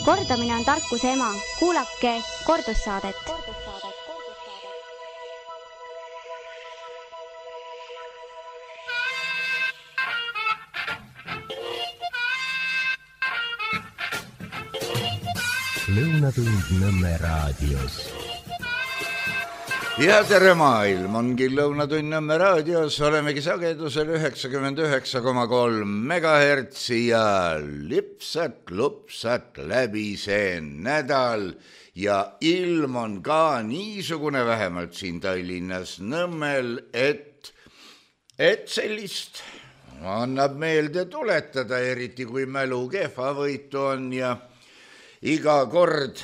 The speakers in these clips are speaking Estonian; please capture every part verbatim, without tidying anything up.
Kordamine on tarkuse ema. Kuulake kordussaadet. Lõunatund Nõmme raadios. Ja tere maailm, ongi Lõunatund Nõmme raadios, olemegi sagedusel üheksakümmend üheksa koma kolm megahertsi ja lipsat-lupsat läbi see nädal ja ilm on ka niisugune vähemalt siin Tallinnas Nõmmel, et, et sellist annab meelde tuletada, eriti kui mälu kehvavõitu on ja iga kord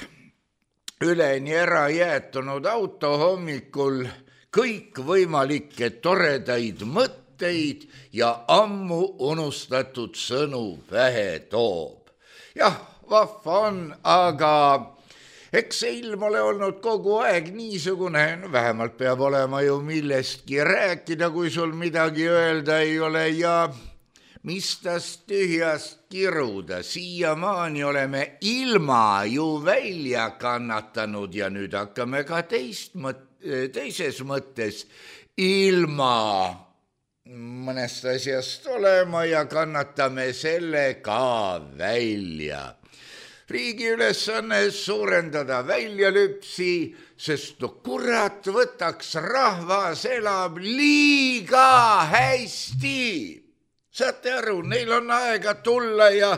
üleni ära jäetunud auto hommikul kõikvõimalikke toredaid mõtteid ja ammu unustatud sõnu pähe toob. Jah, vahva on, aga eks see ilm ole olnud kogu aeg niisugune, no vähemalt peab olema ju millestki rääkida, kui sul midagi öelda ei ole ja mis tast tühjast kiruda, siiamaani oleme ilma ju välja kannatanud ja nüüd hakkame ka teist mõt- teises mõttes ilma mõnest asjast olema ja kannatame selle ka välja. Riigi ülesanne suurendada väljalüpsi, sest no kurat võtaks, rahvas elab liiga hästi. Saate aru, neil on aega tulla ja,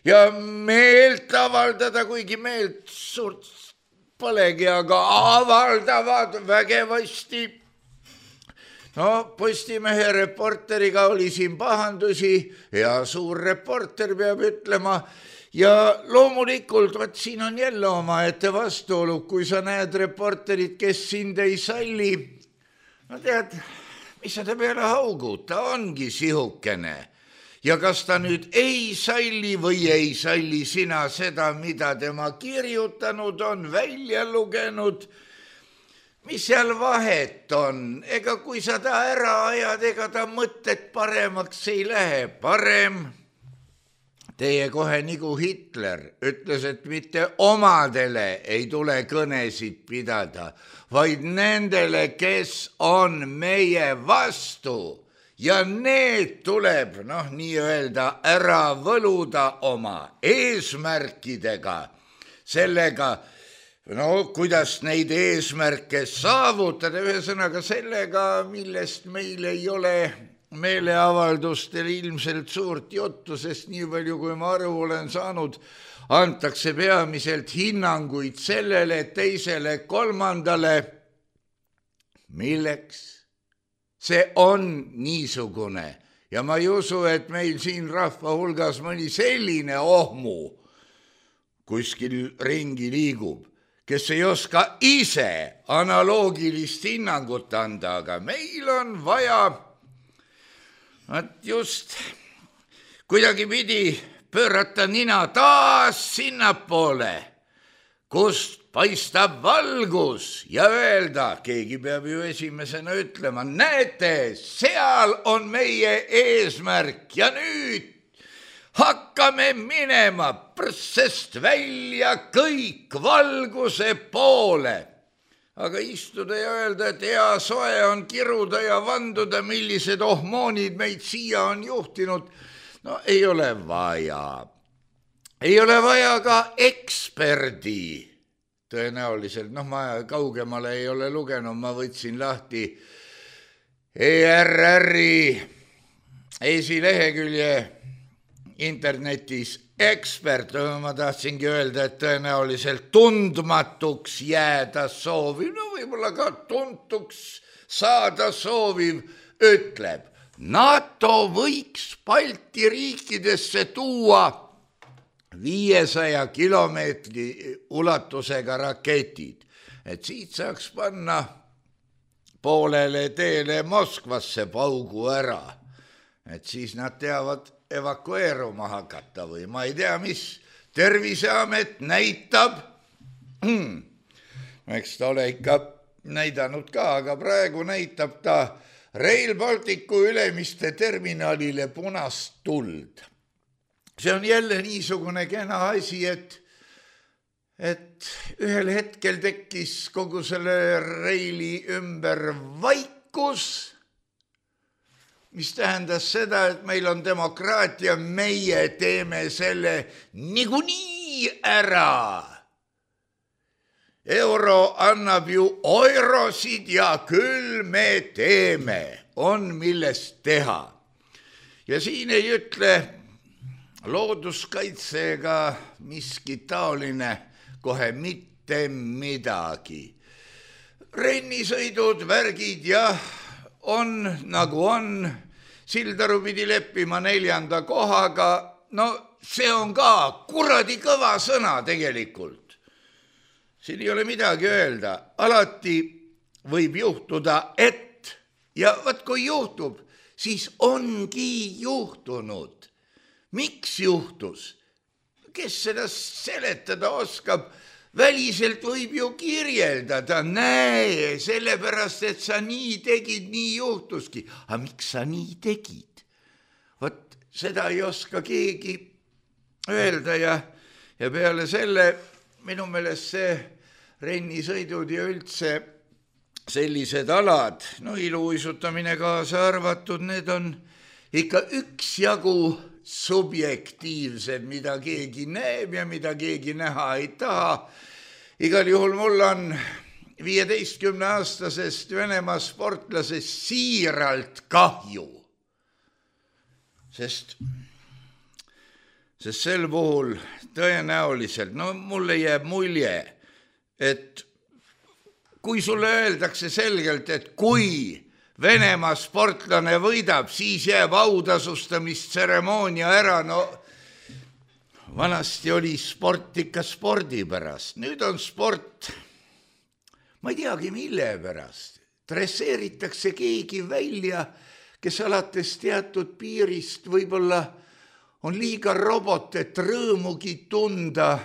ja meelt avaldada, kuigi meelt suurt polegi, aga avaldavad vägevasti. No Postimehe reporteriga oli siin pahandusi ja suur reporter peab ütlema ja loomulikult, vaat siin on jälle omaette vastuolu, kui sa näed reporterit, kes sind ei salli. No tead, mis sa ta peale haugud, ta ongi sihukene. Ja kas ta nüüd ei salli või ei salli sina seda, mida tema kirjutanud on, välja lugenud, mis seal vahet on? Ega kui sa ta ära ajad, ega ta mõtted paremaks ei lähe. Parem teie kohe nagu Hitler ütles, et mitte omadele ei tule kõnesid pidada, vaid nendele, kes on meie vastu. Ja need tuleb, noh, nii-öelda ära võluda oma eesmärkidega, sellega, no, kuidas neid eesmärke saavutada, ühesõnaga sellega, millest meil ei ole meeleavaldustel ilmselt suurt juttu, sest nii palju, kui ma aru olen saanud, antakse peamiselt hinnanguid sellele, teisele, kolmandale. Milleks? See on niisugune ja ma ei usu, et meil siin rahva hulgas mõni selline ohmu kuskil ringi liigub, kes ei oska ise analoogilist hinnangut anda, aga meil on vaja et just kuidagi pidi pöörata nina taas sinnapoole, kust paistab valgus ja öelda, keegi peab ju esimesena ütlema, näete, seal on meie eesmärk ja nüüd hakkame minema prssest välja kõik valguse poole. Aga istuda ja öelda, et hea soe on kiruda ja vanduda, millised ohmoonid meid siia on juhtinud, no ei ole vaja. Ei ole vaja ka eksperdi. Tõenäoliselt, noh, ma kaugemale ei ole lugenud, ma võtsin lahti E R R-i esilehekülje internetis ekspert, ma tahtsingi öelda, et tõenäoliselt tundmatuks jääda sooviv, no võib-olla ka tuntuks saada sooviv, ütleb, NATO võiks Balti riikidesse tuua viiesaja kilomeetri ulatusega raketid, et siit saaks panna poolele teele Moskvasse paugu ära, et siis nad teavad evakueeruma hakata või ma ei tea, mis Terviseamet näitab, eks ta ole ikka näidanud ka, aga praegu näitab ta Rail Balticu Ülemiste terminalile punast tuld. See on jälle niisugune kena asi, et et ühel hetkel tekkis kogu selle Reili ümber vaikus, mis tähendas seda, et meil on demokraatia, meie teeme selle niikuinii ära. Euro annab ju eurosid ja küll me teeme, on millest teha. Ja siin ei ütle looduskaitsega miski taoline kohe mitte midagi. Rennisõidud, värgid jah, on nagu on, Sildaru pidi leppima neljanda kohaga, no see on ka kuradi kõva sõna tegelikult. Siin ei ole midagi öelda, alati võib juhtuda, et ja vaat kui juhtub, siis ongi juhtunud. Miks juhtus? Kes seda seletada oskab? Väliselt võib ju kirjeldada, näe, sellepärast, et sa nii tegid, nii juhtuski. Aga miks sa nii tegid? Vot seda ei oska keegi öelda ja, ja peale selle minu meelest see rennisõidud ja üldse sellised alad, no iluuisutamine kaasa arvatud, need on ikka üksjagu subjektiivsed, mida keegi näeb ja mida keegi näha ei taha. Igal juhul mul on viieteistkümne aastasest Venemaa sportlasest siiralt kahju. Sest, sest sel puhul tõenäoliselt, no mulle jääb mulje, et kui sulle öeldakse selgelt, et kui Venemaa sportlane võidab, siis jääb autasustamisteremoonia ära. No vanasti oli sport ikka spordi pärast. Nüüd on sport, ma ei teagi mille pärast. Dresseeritakse keegi välja, kes alates teatud piirist võib-olla on liiga robot, et rõõmugi tunda.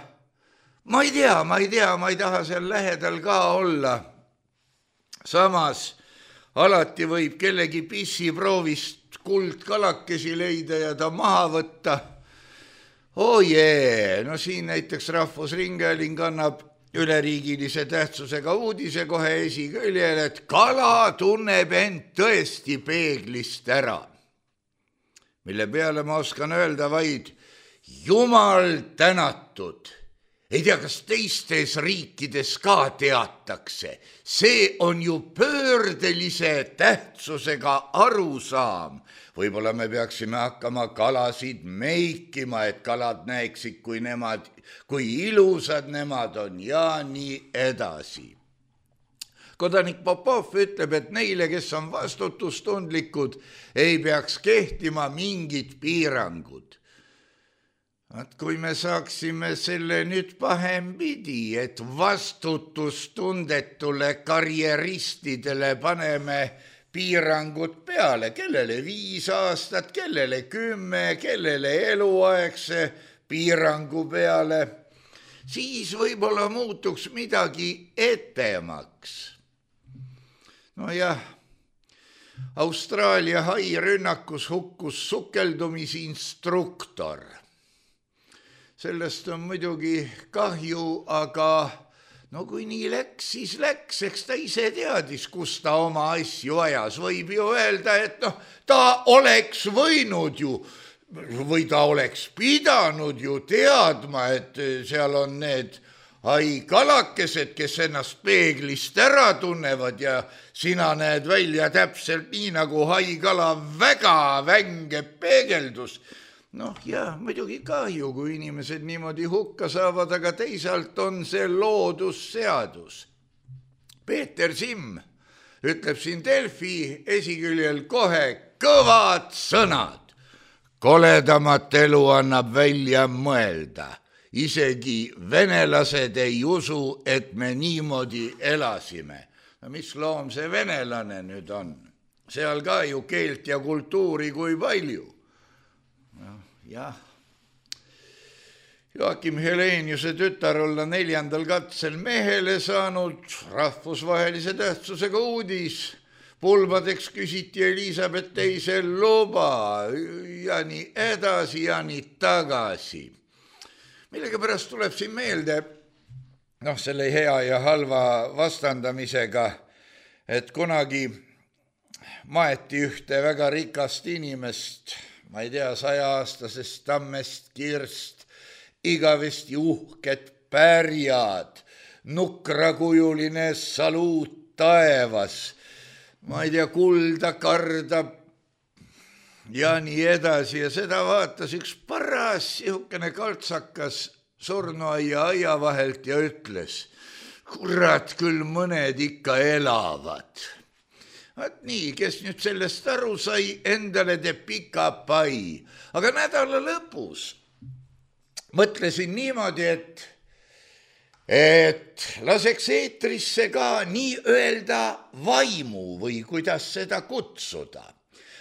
Ma ei tea, ma ei tea, ma ei taha seal lähedal ka olla. Samas alati võib kellegi pissiproovist kuldkalakesi leida ja ta maha võtta. Oh jee, no siin näiteks Rahvusringhääling annab üleriigilise tähtsusega uudise kohe esiküljel, et kala tunneb end tõesti peeglist ära. Mille peale ma oskan öelda vaid jumal tänatud. Ei tea, kas teistes riikides ka teatakse. See on ju pöördelise tähtsusega arusaam. Võib-olla me peaksime hakkama kalasid meikima, et kalad näeksid, kui nemad, kui ilusad nemad on ja nii edasi. Kodanik Popov ütleb, et neile, kes on vastutustundlikud, ei peaks kehtima mingid piirangud. Et kui me saaksime selle nüüd pahempidi, et vastutustundetule karjeristidele paneme piirangud peale, kellele viis aastat, kellele kümme, kellele eluaegse piirangu peale, siis võib-olla muutuks midagi etemaks. No jah, Austraalia hairünnakus hukkus sukeldumisinstruktor. Sellest on muidugi kahju, aga no kui nii läks, siis läks, eks ta ise teadis, kus ta oma asju ajas. Võib ju öelda, et noh, ta oleks võinud ju, või ta oleks pidanud ju teadma, et seal on need haikalakesed, kes ennast peeglist ära tunnevad ja sina näed välja täpselt nii, nagu haikala väga vänge peegeldus. Noh, jah, muidugi kahju, kui inimesed niimoodi hukka saavad, aga teisalt on see loodusseadus. Peeter Simm ütleb siin Delfi esiküljel kohe kõvad sõnad. Koledamat elu annab välja mõelda. Isegi venelased ei usu, et me niimoodi elasime. No mis loom see venelane nüüd on? Seal ka ju keelt ja kultuuri kui palju. Jah, Joakim Heleniuse tütar olla neljandal katsel mehele saanud, rahvusvahelise tähtsusega uudis. Pulbadeks küsiti Elisabeth teise luba ja nii edasi ja nii tagasi. Millega pärast tuleb siin meelde noh, selle hea ja halva vastandamisega, et kunagi maeti ühte väga rikast inimest, ma ei tea, sajaaastasest tammest kirst, igavesti uhked pärjad, nukrakujuline saluut taevas, ma ei tea, kulda kardab ja nii edasi ja seda vaatas üks paras sihukene kaltsakas surnuaia aia vahelt ja ütles, kurat, küll mõned ikka elavad. Vaat nii, kes nüüd sellest aru sai, endale teeb pika pai. Aga nädala lõpus mõtlesin niimoodi, et, et laseks eetrisse ka nii öelda vaimu või kuidas seda kutsuda.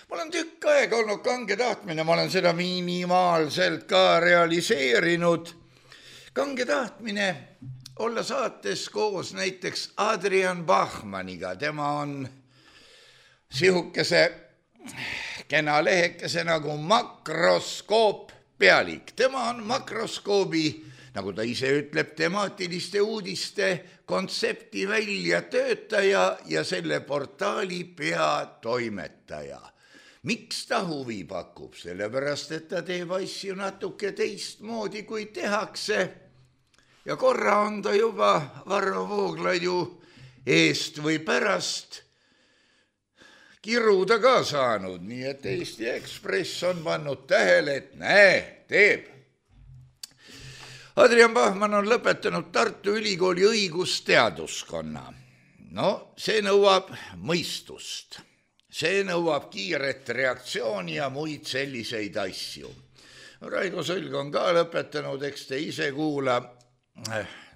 Ma olen tükk aega olnud kange tahtmine, ma olen seda minimaalselt ka realiseerinud. Kange tahtmine olla saates koos näiteks Adrian Bachmaniga, tema on sihukese kena lehekese nagu Makroskoop pealik. Tema on Makroskoobi, nagu ta ise ütleb, temaatiliste uudiste kontsepti välja töötaja ja selle portaali peatoimetaja. Miks ta huvi pakub? Sellepärast, et ta teeb asju natuke teistmoodi, kui tehakse. Ja korra on ta juba Varro Vooglaiu eest või pärast kiruda ka saanud, nii et Eesti Ekspress on pannud tähele, et näe, teeb. Adrian Bachman on lõpetanud Tartu Ülikooli õigusteaduskonna. No, see nõuab mõistust. See nõuab kiiret reaktsiooni ja muid selliseid asju. Raigo Sõlg on ka lõpetanud, eks te ise kuula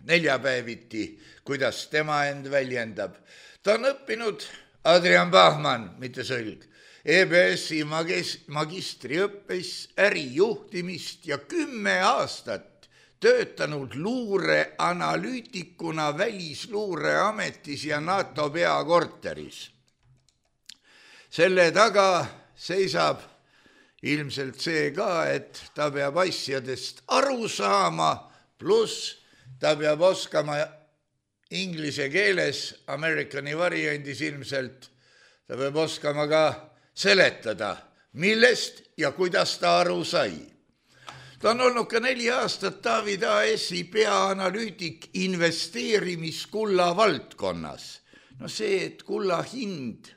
neljapäeviti, kuidas tema end väljendab. Ta on õppinud Adrian Bachman, mitte Sõlg, E B S-i magistriõppes ärijuhtimist ja kümme aastat töötanud luureanalüütikuna Välisluureametis ja NATO peakorteris. Selle taga seisab ilmselt see ka, et ta peab asjadest aru saama, pluss ta peab oskama inglise keeles, Amerikani variandis ilmselt, ta peab oskama ka seletada, millest ja kuidas ta aru sai. Ta on olnud ka neli aastat David A S-i peaanalüütik investeerimiskulla valdkonnas. No see, et kulla hind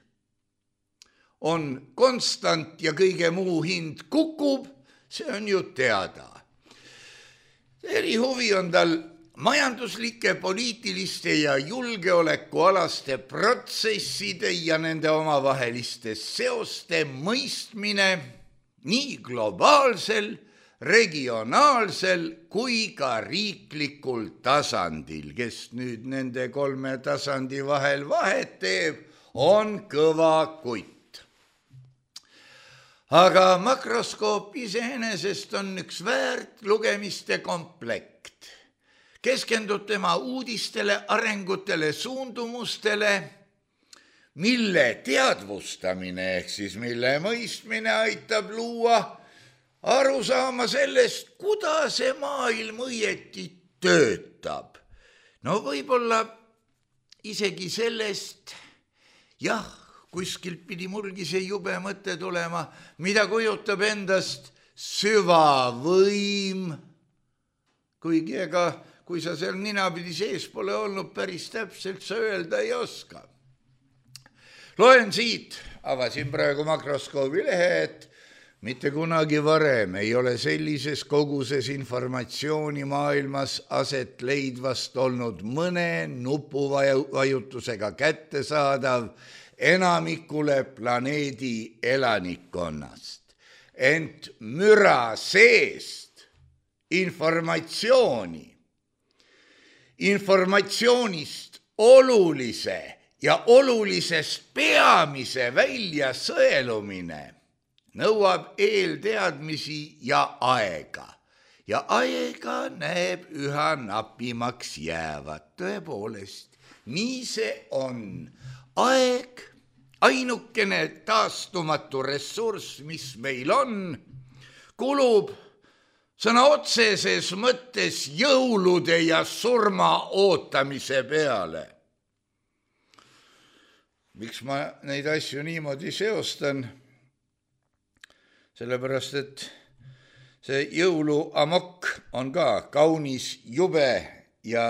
on konstant ja kõige muu hind kukub, see on ju teada. Erihuvi on tal majanduslike, poliitiliste ja julgeolekualaste protsesside ja nende omavaheliste seoste mõistmine nii globaalsel, regionaalsel kui ka riiklikul tasandil. Kes nüüd nende kolme tasandi vahel vahet teeb, on kõva kutt. Aga Makroskoop iseenesest on üks väärt lugemiste komplekt. Keskendub tema uudistele, arengutele, suundumustele, mille teadvustamine ehk siis mille mõistmine aitab luua aru saama sellest, kuidas see maailm õieti töötab. No võib-olla isegi sellest, jah, kuskilt pidi mulgi see jube mõte tulema, mida kujutab endast süvavõim, kuigi ega kui sa seal ninapidi sees pole olnud, päris täpselt sa öelda ei oska. Loen siit, avasin praegu Makroskoobi lehe, et mitte kunagi varem ei ole sellises koguses informatsiooni maailmas aset leidvast olnud mõne nupuvajutusega kättesaadav enamikule planeedi elanikkonnast. Ent müra seest informatsiooni, informatsioonist olulise ja olulisest peamise välja sõelumine nõuab eelteadmisi ja aega. Ja aega näeb üha napimaks jäävat. Tõepoolest, nii see on. Aeg, ainukene taastumatu ressurss, mis meil on, kulub sõna otseses mõttes jõulude ja surma ootamise peale. Miks ma neid asju niimoodi seostan? Sellepärast, et see jõuluamokk on ka kaunis jube ja,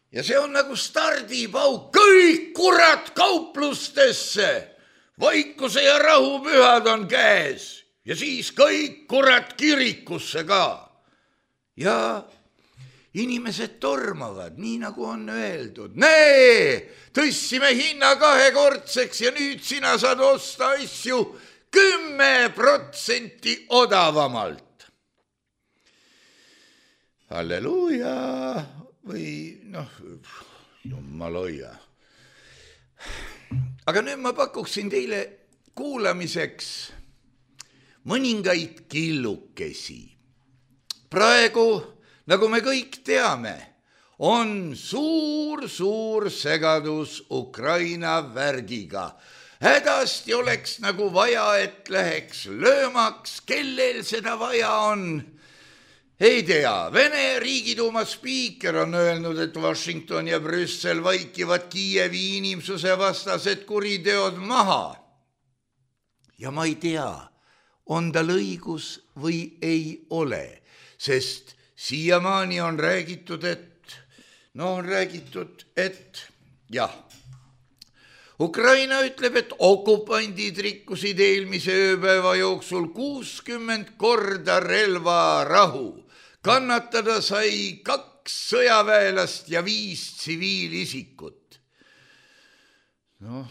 ja see on nagu stardipauk. Kõik kurat kauplustesse, vaikuse ja rahu pühad on käes ja siis kõik kurat kirikusse ka. Ja inimesed tormavad, nii nagu on öeldud. Nee, tõstsime hinna kahekordseks ja nüüd sina saad osta asju kümme protsenti odavamalt. Halleluuja või noh, jumal hoia. Aga nüüd ma pakuksin teile kuulamiseks mõningaid killukesi. Praegu, nagu me kõik teame, on suur-suur segadus Ukraina värgiga. Hädasti oleks nagu vaja, et läheks löömaks, kellel seda vaja on. Ei tea, Vene riigiduuma spiiker on öelnud, et Washington ja Brüssel vaikivad Kiievi inimsuse vastased kuriteod maha. Ja ma ei tea, on tal õigus või ei ole, sest siiamaani on räägitud, et, no on räägitud, et jah, Ukraina ütleb, et okupandid rikkusid eelmise ööpäeva jooksul kuuskümmend korda relvarahu. Kannatada sai kaks sõjaväelast ja viis tsiviilisikut. Noh,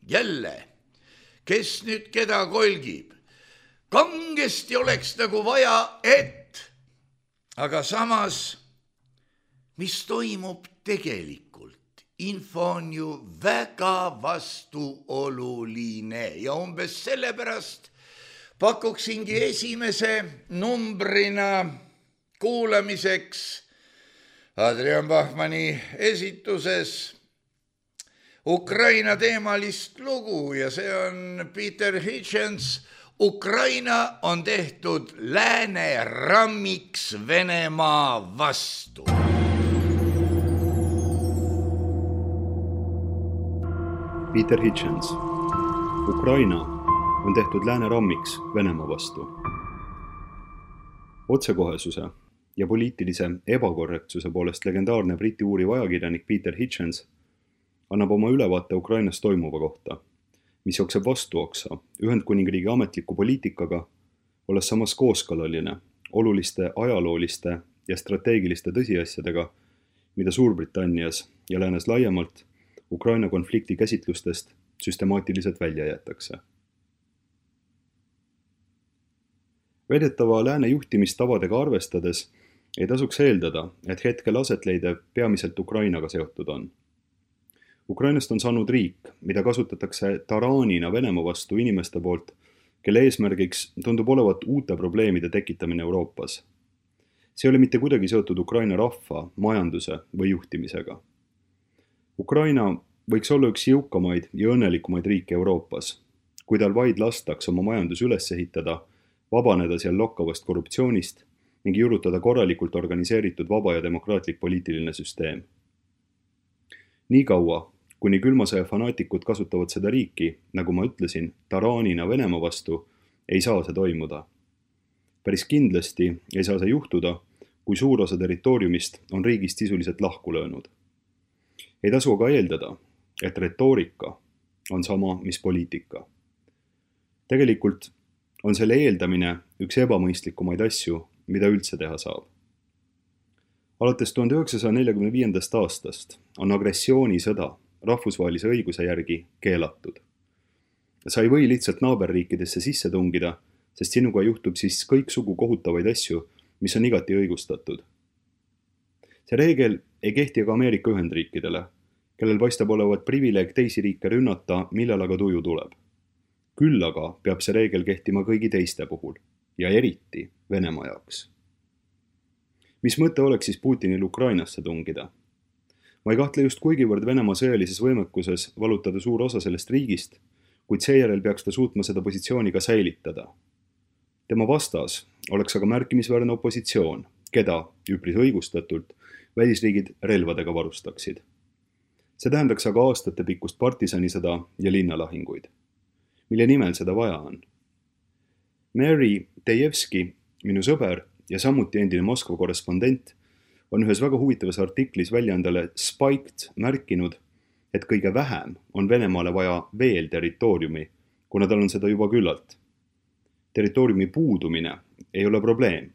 jälle, kes nüüd keda kolgib? Kangesti oleks nagu vaja, et, aga samas, mis toimub tegelikult? Info on ju väga vastuoluline ja umbes sellepärast pakuksingi esimese numbrina kuulamiseks Adrian Bachmanni esituses Ukraina teemalist lugu ja see on Peter Hitchens. Ukraina on tehtud lääne rammiks Venemaa vastu. Peter Hitchens. Ukraina on tehtud lääne rammiks Venemaa vastu. Otsekohesuse ja poliitilise ebakorrektsuse poolest legendaarne briti uuriv ajakirjanik Peter Hitchens annab oma ülevaate Ukrainas toimuva kohta, mis jookseb vastuoksa Ühendkuningriigi ametliku poliitikaga, olles samas kooskõlaline oluliste ajalooliste ja strateegiliste tõsiasjadega, mida Suurbritannias ja läänes laiemalt Ukraina konflikti käsitlustest süstemaatiliselt välja jätakse. Väidetava lääne juhtimistavadega arvestades ei tasuks eeldada, et hetkel asetleidev peamiselt Ukrainaga seotud on. Ukrainast on saanud riik, mida kasutatakse taraanina Venemaa vastu inimeste poolt, kelle eesmärgiks tundub olevat uute probleemide tekitamine Euroopas. See ei ole mitte kuidagi seotud Ukraina rahva, majanduse või juhtimisega. Ukraina võiks olla üks jõukamaid ja õnnelikumaid riike Euroopas, kui tal vaid lastaks oma majandus üles ehitada, vabaneda seal lokkavast korruptsioonist ning juurutada korralikult organiseeritud vaba ja demokraatlik poliitiline süsteem. Nii kaua, kuni külmasõja fanaatikud kasutavad seda riiki, nagu ma ütlesin, taraanina Venemaa vastu, ei saa see toimuda. Päris kindlasti ei saa see juhtuda, kui suur osa territooriumist on riigist sisuliselt lahku löönud. Ei tasu aga eeldada, et retoorika on sama, mis poliitika. Tegelikult on selle eeldamine üks ebamõistlikumaid asju, mida üldse teha saab. Alates tuhande üheksasaja neljakümne viiendast aastast on agressioonisõda rahvusvahelise õiguse järgi keelatud. Sa ei või lihtsalt naaberriikidesse sisse tungida, sest sinuga juhtub siis kõiksugu kohutavaid asju, mis on igati õigustatud. See reegel ei kehti aga Ameerika Ühendriikidele, kellel paistab olevat privileeg teisi riike rünnata, millal aga tuju tuleb. Küll aga peab see reegel kehtima kõigi teiste puhul ja eriti Venemaa jaoks. Mis mõte oleks siis Putinil Ukrainasse tungida? Ma ei kahtle just kuigivõrd Venemaa sõjalises võimekuses valutada suur osa sellest riigist, kuid seejärel peaks ta suutma seda positsiooni ka säilitada. Tema vastas oleks aga märkimisväärne opositsioon, keda, üpris õigustatult, välisriigid relvadega varustaksid. See tähendaks aga aastate pikkust partisanisõda ja linnalahinguid. Mille nimel seda vaja on? Mary Tejevski, minu sõber ja samuti endine Moskva korrespondent, on ühes väga huvitavas artiklis väljaandele Spiked märkinud, et kõige vähem on Venemaale vaja veel territooriumi, kuna tal on seda juba küllalt. Territooriumi puudumine ei ole probleem.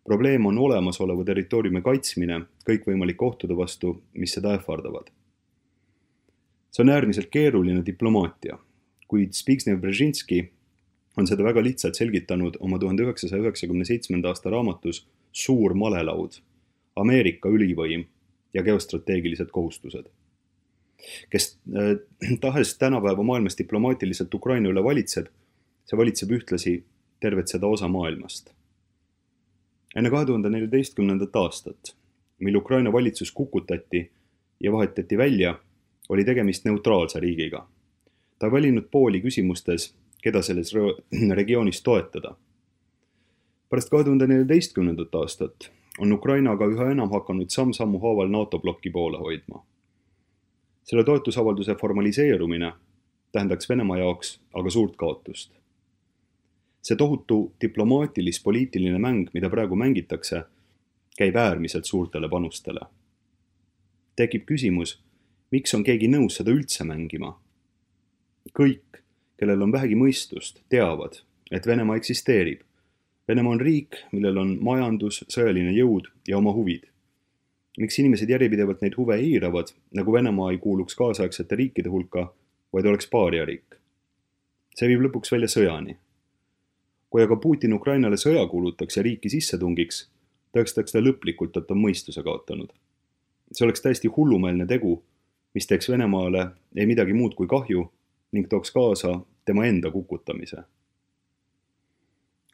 Probleem on olemasoleva territooriumi kaitsmine kõikvõimalike ohtude vastu, mis seda ähvardavad. See on äärmiselt keeruline diplomaatia, kuid Zbigniew-Brzezinski on seda väga lihtsalt selgitanud oma tuhande üheksasaja üheksakümne seitsmenda aasta raamatus Suur malelaud, Ameerika ülivõim ja geostrateegilised kohustused. Kes äh, tahes tänapäeva maailmas diplomaatiliselt Ukraina üle valitseb, see valitseb ühtlasi tervet seda osa maailmast. Enne kahe tuhande neljateistkümnendat aastat, mil Ukraina valitsus kukutati ja vahetati välja, oli tegemist neutraalse riigiga. Ta on valinud pooli küsimustes, keda selles regioonis toetada. Pärast kahe tuhande neljateistkümnendat aastat on Ukraina aga üha enam hakanud samm-sammu haaval NATO blokki poole hoidma. Selle toetusavalduse formaliseerumine tähendaks Venemaa jaoks aga suurt kaotust. See tohutu diplomaatilis-poliitiline mäng, mida praegu mängitakse, käib äärmiselt suurtele panustele. Tekib küsimus, miks on keegi nõus seda üldse mängima? Kõik, kellel on vähegi mõistust, teavad, et Venemaa eksisteerib. Venemaa on riik, millel on majandus, sõjaline jõud ja oma huvid. Miks inimesed järjepidevalt neid huve eiravad, nagu Venemaa ei kuuluks kaasaegsete riikide hulka, vaid oleks paariariik? See viib lõpuks välja sõjani. Kui aga Putin Ukrainale sõja kuulutaks ja riiki sisse tungiks, tõestaks ta lõplikult, et on mõistuse kaotanud. See oleks täiesti hullumeelne tegu, mis teeks Venemaale ei midagi muud kui kahju ning tooks kaasa tema enda kukutamise.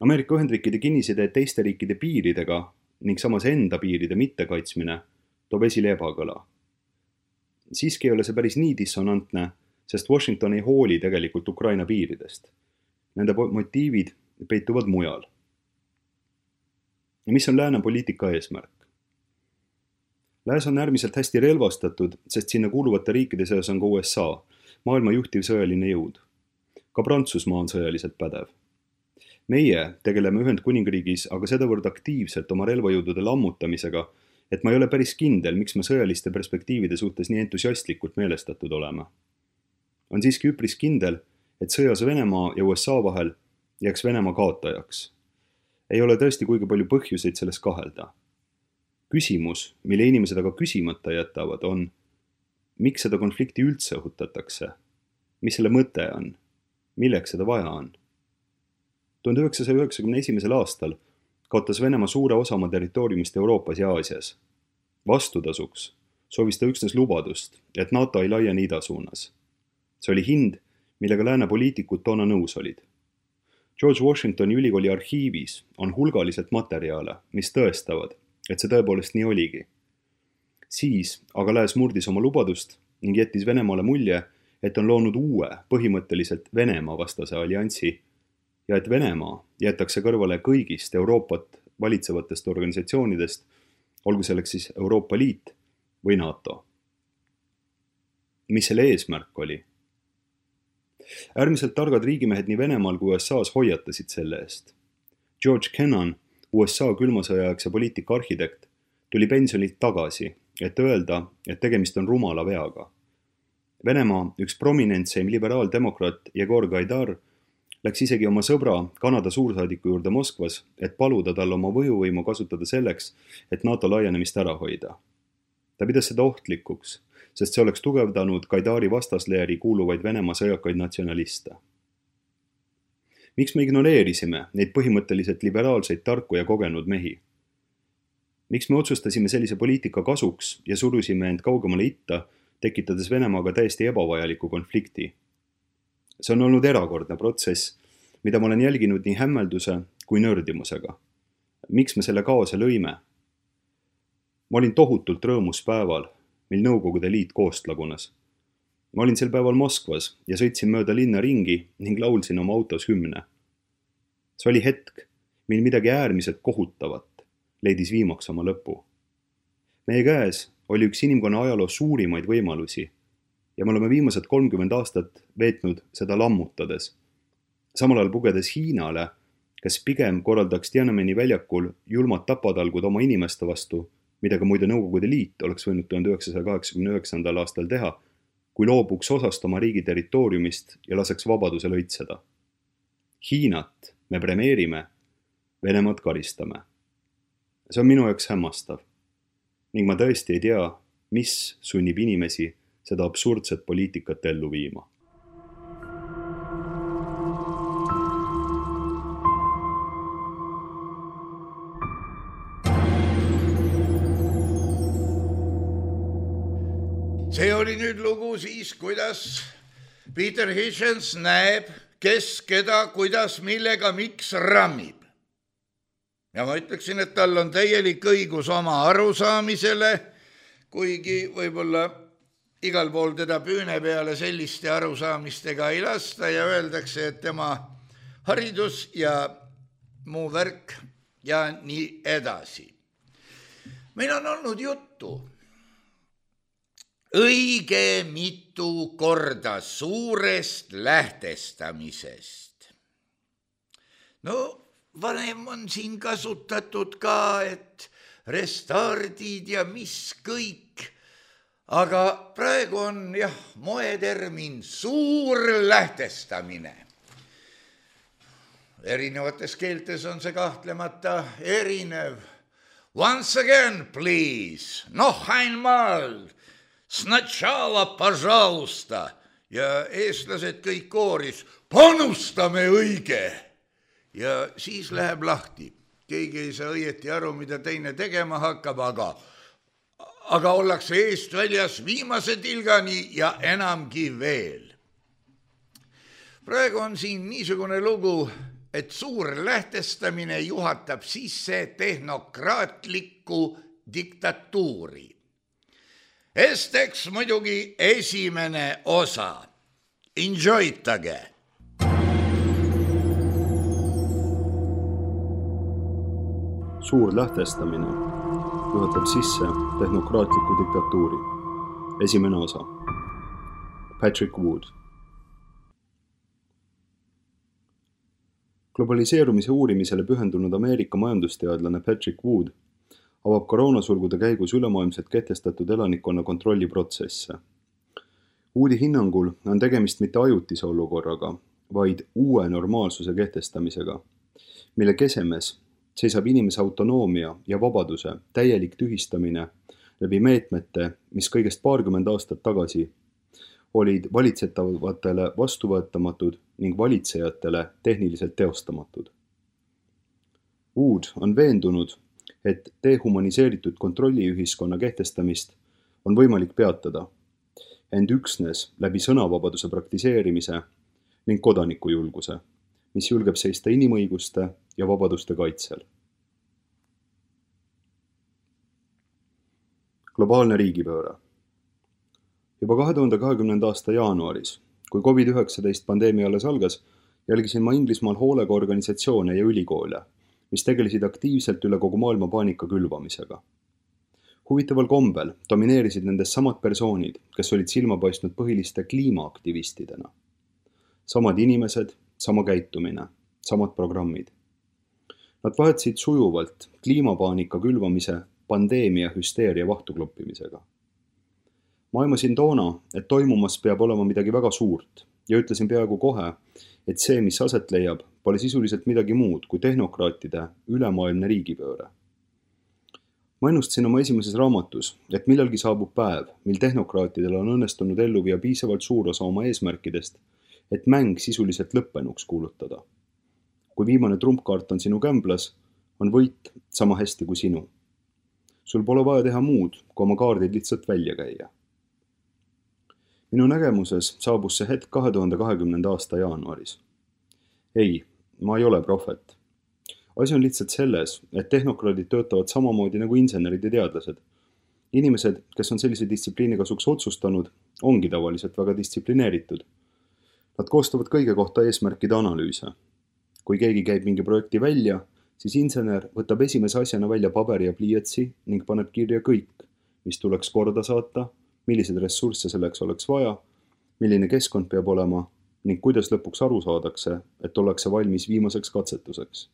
Ameerika Ühendriikide kinniside teiste riikide piiridega ning samas enda piiride mittekaitsmine toob esile ebakõla. Siiski ei ole see päris nii dissonantne, sest Washington ei hooli tegelikult Ukraina piiridest. Nende motiivid peituvad mujal. Ja mis on lääne poliitika eesmärk? Lääs on äärmiselt hästi relvastatud, sest sinna kuuluvate riikide seas on ka U S A, maailma juhtiv sõjaline jõud. Ka Prantsusmaa on sõjaliselt pädev. Meie tegeleme Ühendkuningriigis aga sedavõrd aktiivselt oma relvajõudude lammutamisega, et ma ei ole päris kindel, miks me sõjaliste perspektiivide suhtes nii entusiastlikult meelestatud oleme. On siiski üpris kindel, et sõjas Venemaa ja U S A vahel jääks Venemaa kaotajaks. Ei ole tõesti kuigi palju põhjuseid selles kahelda. Küsimus, mille inimesed aga küsimata jätavad, on, miks seda konflikti üldse õhutatakse? Mis selle mõte on? Milleks seda vaja on? tuhande üheksasaja üheksakümne esimesel aastal kaotas Venemaa suure osa oma territooriumist Euroopas ja Aasias. Vastutasuks soovis ta üksnes lubadust, et NATO ei laiene ida suunas. See oli hind, millega lääne poliitikud toona nõus olid. George Washingtoni ülikooli arhiivis on hulgaliselt materjale, mis tõestavad, et see tõepoolest nii oligi. Siis aga lääs murdis oma lubadust ning jättis Venemaale mulje, et on loonud uue, põhimõtteliselt Venemaa vastase alliansi ja et Venemaa jäetakse kõrvale kõigist Euroopat valitsevatest organisatsioonidest, olgu selleks siis Euroopa Liit või NATO. Mis selle eesmärk oli? Äärmiselt targad riigimehed nii Venemaal kui U S A's hoiatasid selle eest. George Kennan, U S A külmasõjaaegse poliitika arhitekt, tuli pensionilt tagasi, et öelda, et tegemist on rumala veaga. Venemaa üks prominentseim liberaaldemokraat Jegor Gaidar läks isegi oma sõbra Kanada suursaadiku juurde Moskvas, et paluda tal oma võjuvõimu kasutada selleks, et NATO laienemist ära hoida. Ta pidas seda ohtlikuks, sest see oleks tugevdanud Gaidari vastasleeri kuuluvaid Venemaa sõjakaid natsionaliste. Miks me ignoreerisime neid põhimõtteliselt liberaalseid tarku ja kogenud mehi? Miks me otsustasime sellise poliitika kasuks ja surusime end kaugemale itta, tekitades Venemaaga täiesti ebavajaliku konflikti? See on olnud erakordne protsess, mida ma olen jälginud nii hämmelduse kui nördimusega. Miks me selle kaose lõime? Ma olin tohutult rõõmus päeval, mil Nõukogude Liit koost lagunes. Ma olin sel päeval Moskvas ja sõitsin mööda linna ringi ning laulsin oma autos hümne. See oli hetk, mil midagi äärmiselt kohutavat leidis viimaks oma lõpu. Meie käes oli üks inimkonna ajaloo suurimaid võimalusi ja me oleme viimased kolmkümmend aastat veetnud seda lammutades. Samal ajal pugedes Hiinale, kes pigem korraldaks Tiananmeni väljakul julmad tapatalgud oma inimeste vastu, mida ka muide Nõukogude Liit oleks võinud tuhande üheksasaja kaheksakümne üheksandal aastal teha, kui loobuks osast oma riigi territooriumist ja laseks vabadusel õitseda. Hiinat me premeerime, Venemaad karistame. See on minu jaoks hämmastav. Ning ma tõesti ei tea, mis sunnib inimesi seda absurdset poliitikat ellu viima. See oli nüüd lugu siis, kuidas Peter Hitchens näeb, kes, keda, kuidas, millega, miks rammib. Ja ma ütleksin, et tal on täielik õigus oma arusaamisele, kuigi võib-olla igal pool teda püüne peale selliste arusaamistega ei lasta ja öeldakse, et tema haridus ja muu värk ja nii edasi. Meil on olnud juttu õige mitu korda suurest lähtestamisest. No, vanem on siin kasutatud ka, et restardid ja mis kõik, aga praegu on jah, moetermin suur lähtestamine. Erinevates keeltes on see kahtlemata erinev. Once again, please, noh einmal, Sначала, пожалуйста, ja eestlased kõik kooris, panustame õige. Ja siis läheb lahti. Keegi ei saa õieti aru, mida teine tegema hakkab, aga, aga ollakse eest väljas viimase tilgani ja enamgi veel. Praegu on siin niisugune lugu, et suur lähtestamine juhatab sisse tehnokraatlikku diktatuuri. Esteks muidugi esimene osa. Enjoytage! Suur lähtestamine juhatab sisse tehnokraatliku diktatuuri. Esimene osa. Patrick Wood. Globaliseerumise uurimisele pühendunud Ameerika majandusteadlane Patrick Wood avab koroonasulgude käigus ülemaailmselt kehtestatud elanikkonna kontrolliprotsesse. Woodi hinnangul on tegemist mitte ajutise olukorraga, vaid uue normaalsuse kehtestamisega, mille kesemes seisab inimese autonoomia ja vabaduse täielik tühistamine läbi meetmete, mis kõigest paarkümmend aastat tagasi olid valitsetavatele vastuvõetamatud ning valitsejatele tehniliselt teostamatud. Wood on veendunud, et dehumaniseeritud kontrolliühiskonna kehtestamist on võimalik peatada, ent üksnes läbi sõnavabaduse praktiseerimise ning kodanikujulguse, mis julgeb seista inimõiguste ja vabaduste kaitsel. Globaalne riigipööre. Juba kahe tuhande kahekümnenda aasta jaanuaris, kui covid üheksateist pandeemia alles algas, jälgisin ma Inglismaal hoolega organisatsioone ja ülikoole, mis tegelesid aktiivselt üle kogu maailma paanika külvamisega. Huvitaval kombel domineerisid nendest samad persoonid, kes olid silma paistnud põhiliste kliimaaktivistidena. Samad inimesed, sama käitumine, samad programmid. Nad vahetasid sujuvalt kliimapaanika külvamise pandeemia hüsteeria vahtukloppimisega. Ma aimasin toona, et toimumas peab olema midagi väga suurt ja ütlesin peaaegu kohe, et see, mis aset leiab, pole sisuliselt midagi muud kui tehnokraatide ülemaailmne riigipööre. Ma ennustasin oma esimeses raamatus, et millalgi saabub päev, mil tehnokraatidel on õnnestunud ellu viia piisavalt suur osa oma eesmärkidest, et mäng sisuliselt lõppenuks kuulutada. Kui viimane trumpkaart on sinu kämblas, on võit sama hästi kui sinu. Sul pole vaja teha muud, kui oma kaardid lihtsalt välja käia. Minu nägemuses saabus see hetk kahe tuhande kahekümnenda aasta jaanuaris. Ei, ma ei ole prohvet. Asi on lihtsalt selles, et tehnokraadid töötavad samamoodi nagu insenerid ja teadlased. Inimesed, kes on sellise distsipliini kasuks otsustanud, ongi tavaliselt väga distsiplineeritud. Nad koostavad kõige kohta eesmärkide analüüse. Kui keegi käib mingi projekti välja, siis insener võtab esimese asjana välja paberi ja pliiatsi ning paneb kirja kõik, mis tuleks korda saata, millised ressursse selleks oleks vaja, milline keskkond peab olema ning kuidas lõpuks aru saadakse, et ollakse valmis viimaseks katsetuseks.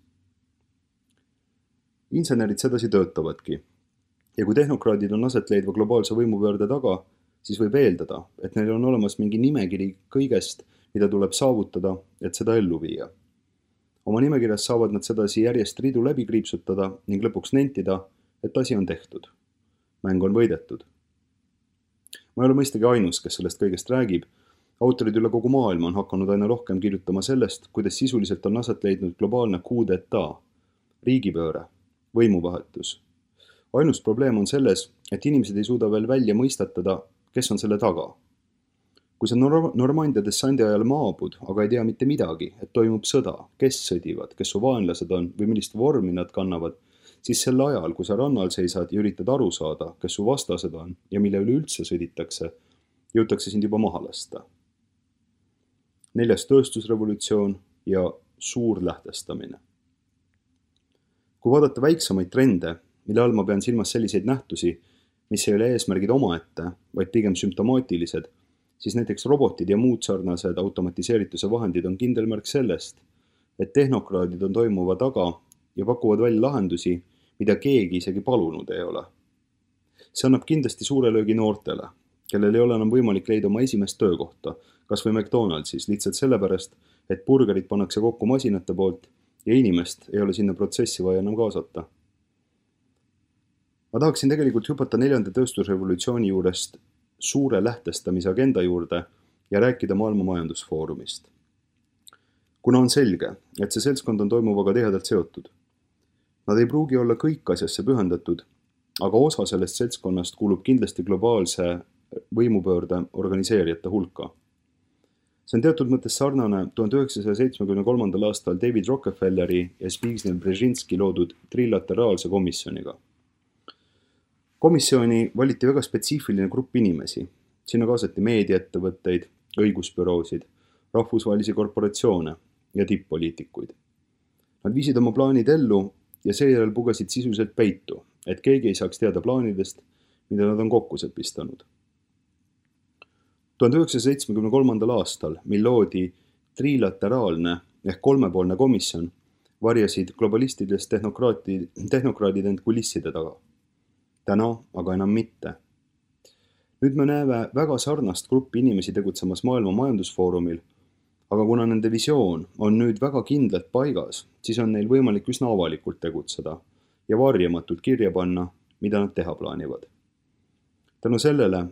Insenerid sedasi töötavadki ja kui tehnokraadid on aset leidva globaalse võimupöörde taga, siis võib eeldada, et neil on olemas mingi nimekiri kõigest, mida tuleb saavutada, et seda ellu viia. Oma nimekirjas saavad nad sedasi järjest ridu läbi kriipsutada ning lõpuks nentida, et asi on tehtud. Mäng on võidetud. Ma ei ole mõistagi ainus, kes sellest kõigest räägib. Autorid üle kogu maailma on hakanud aina rohkem kirjutama sellest, kuidas sisuliselt on aset leidnud globaalne coup d'etat, riigipööre, võimuvahetus. Ainus probleem on selles, et inimesed ei suuda veel välja mõistatada, kes on selle taga. Kui sa Normandia dessandi ajal maabud, aga ei tea mitte midagi, et toimub sõda, kes sõdivad, kes su vaenlased on või millist vormi nad kannavad, siis sel ajal, kui sa rannal seisad ja üritad aru saada, kes su vastased on ja mille üle üldse sõditakse, jõutakse sind juba maha lasta. Neljas tööstusrevolutsioon ja suur lähtestamine. Kui vaadata väiksemaid trende, mille all ma pean silmas selliseid nähtusi, mis ei ole eesmärgid omaette, vaid pigem sümptomaatilised, siis näiteks robotid ja muud sarnased automatiseerituse vahendid on kindel märk sellest, et tehnokraadid on toimuva taga ja pakuvad välja lahendusi, mida keegi isegi palunud ei ole. See annab kindlasti suure löögi noortele, kellel ei ole enam võimalik leida oma esimest töökohta, kas või McDonaldsis, lihtsalt sellepärast, et burgerid pannakse kokku masinate poolt ja inimest ei ole sinna protsessi vaja enam kaasata. Ma tahaksin tegelikult hüpata neljanda tööstusrevolutsiooni juurest suure lähtestamise agenda juurde ja rääkida maailma majandusfoorumist. Kuna on selge, et see seltskond on toimuvaga tihedalt seotud. Nad ei pruugi olla kõik asjasse pühendatud, aga osa sellest seltskonnast kuulub kindlasti globaalse võimupöörde organiseerijate hulka. See on teatud mõttes sarnane tuhande üheksasaja seitsmekümne kolmandal aastal David Rockefelleri ja Zbigniew Brzezinski loodud trilateraalse komisjoniga. Komisjoni valiti väga spetsiifiline grupp inimesi. Sinna kaasati meediaettevõtteid, õigusbüroosid, rahvusvahelisi korporatsioone ja tipp-poliitikuid. Nad viisid oma plaanid ellu ja seejärel pugasid sisuliselt peitu, et keegi ei saaks teada plaanidest, mida nad on kokku sepistanud. tuhande üheksasaja seitsmekümne kolmandal aastal, mil loodi trilateraalne ehk kolmepoolne komisjon, varjasid globalistidest tehnokraadid end kulisside taga. Täna aga enam mitte. Nüüd me näeme väga sarnast gruppi inimesi tegutsemas maailma majandusfoorumil, aga kuna nende visioon on nüüd väga kindlalt paigas, siis on neil võimalik üsna avalikult tegutseda ja varjamatult kirja panna, mida nad teha plaanivad. Tänu sellele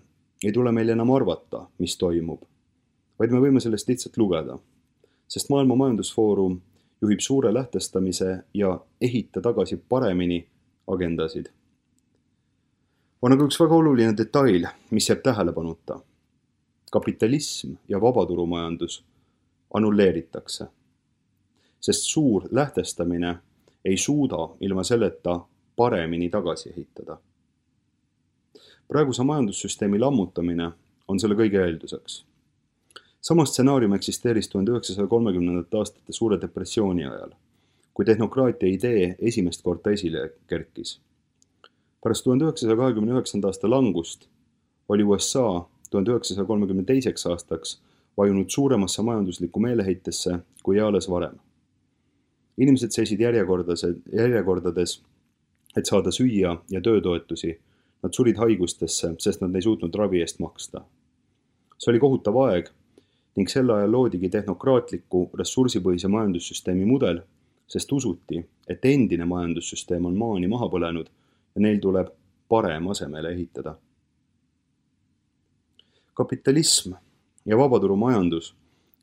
ei tule meil enam arvata, mis toimub, vaid me võime sellest lihtsalt lugeda, sest maailma majandusfoorum juhib suure lähtestamise ja ehita tagasi paremini agendasid. On aga üks väga oluline detail, mis jääb tähelepanuta. Kapitalism ja vabaturumajandus annulleeritakse, sest suur lähtestamine ei suuda ilma selleta paremini tagasi ehitada. Praeguse majandussüsteemi lammutamine on selle kõige eelduseks. Sama stsenaarium eksisteeris tuhande üheksasaja kolmekümnendate aastate suure depressiooni ajal, kui tehnokraatia idee esimest korda esile kerkis. Pärast tuhande üheksasaja kahekümne üheksanda aasta langust oli U S A tuhande üheksasaja kolmekümne teiseks aastaks vajunud suuremasse majanduslikku meeleheitesse kui eales varem. Inimesed seisid järjekordades, et saada süüa ja töötoetusi. Nad surid haigustesse, sest nad ei suutnud ravi eest maksta. See oli kohutav aeg ning sel ajal loodigi tehnokraatliku ressursipõhise majandussüsteemi mudel, sest usuti, et endine majandussüsteem on maani maha põlenud ja neil tuleb parem asemele ehitada. Kapitalism ja vabaturumajandus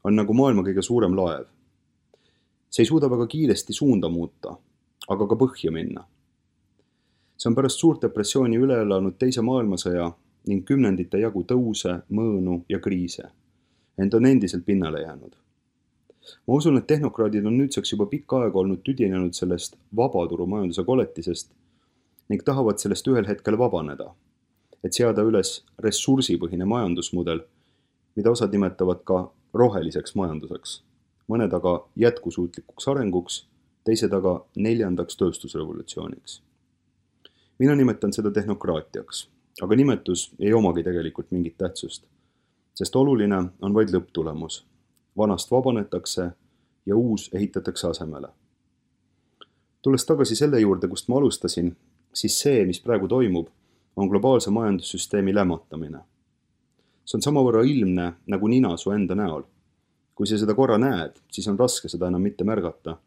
on nagu maailma kõige suurem laev. See ei suuda väga kiiresti suunda muuta, aga ka põhja minna. See on pärast suurt depressiooni üle elanud teise maailmasõja ning kümnendite jagu tõuse, mõõnu ja kriise. Ent on endiselt pinnale jäänud. Ma usun, et tehnokraadid on nüüdseks juba pikka aega olnud tüdinenud sellest vabaturumajanduse koletisest ning tahavad sellest ühel hetkel vabaneda, et seada üles ressursipõhine majandusmudel, mida osad nimetavad ka roheliseks majanduseks, mõned aga jätkusuutlikuks arenguks, teised aga neljandaks tööstusrevolutsiooniks. Mina nimetan seda tehnokraatiaks, aga nimetus ei omagi tegelikult mingit tähtsust, sest oluline on vaid lõpptulemus. Vanast vabanetakse ja uus ehitatakse asemele. Tulles tagasi selle juurde, kust ma alustasin, siis see, mis praegu toimub, on globaalse majandussüsteemi lämmatamine. See on samavõrra ilmne nagu nina su enda näol. Kui sa seda korra näed, siis on raske seda enam mitte märgata.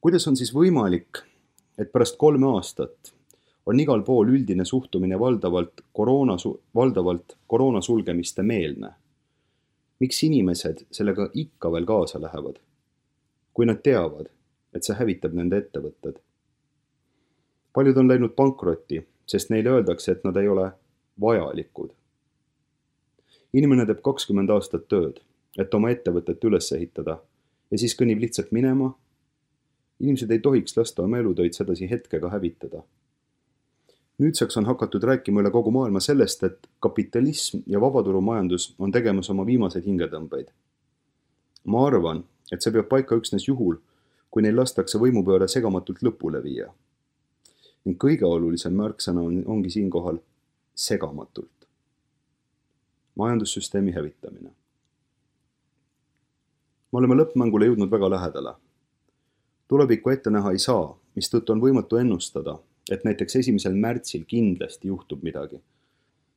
Kuidas on siis võimalik, et pärast kolme aastat on igal pool üldine suhtumine valdavalt koroona, valdavalt koroona sulgemiste meelne? Miks inimesed sellega ikka veel kaasa lähevad, kui nad teavad, et see hävitab nende ettevõtted? Paljud on läinud pankrotti, sest neile öeldakse, et nad ei ole vajalikud. Inimene teeb kakskümmend aastat tööd, et oma ettevõtet üles ehitada ja siis kõnnib lihtsalt minema. Inimesed ei tohiks lasta oma elutöid sedasi hetkega hävitada. Nüüdseks on hakatud rääkima üle kogu maailma sellest, et kapitalism ja vabaturumajandus on tegemas oma viimaseid hingetõmbeid. Ma arvan, et see peab paika üksnes juhul, kui neil lastakse võimupööre segamatult lõpule viia. Ning kõige olulisem märksõna on, ongi siinkohal segamatult. Majandussüsteemi hävitamine. Me oleme lõppmängule jõudnud väga lähedale. Tulevikku ette näha ei saa, mistõttu on võimatu ennustada, et näiteks esimesel märtsil kindlasti juhtub midagi.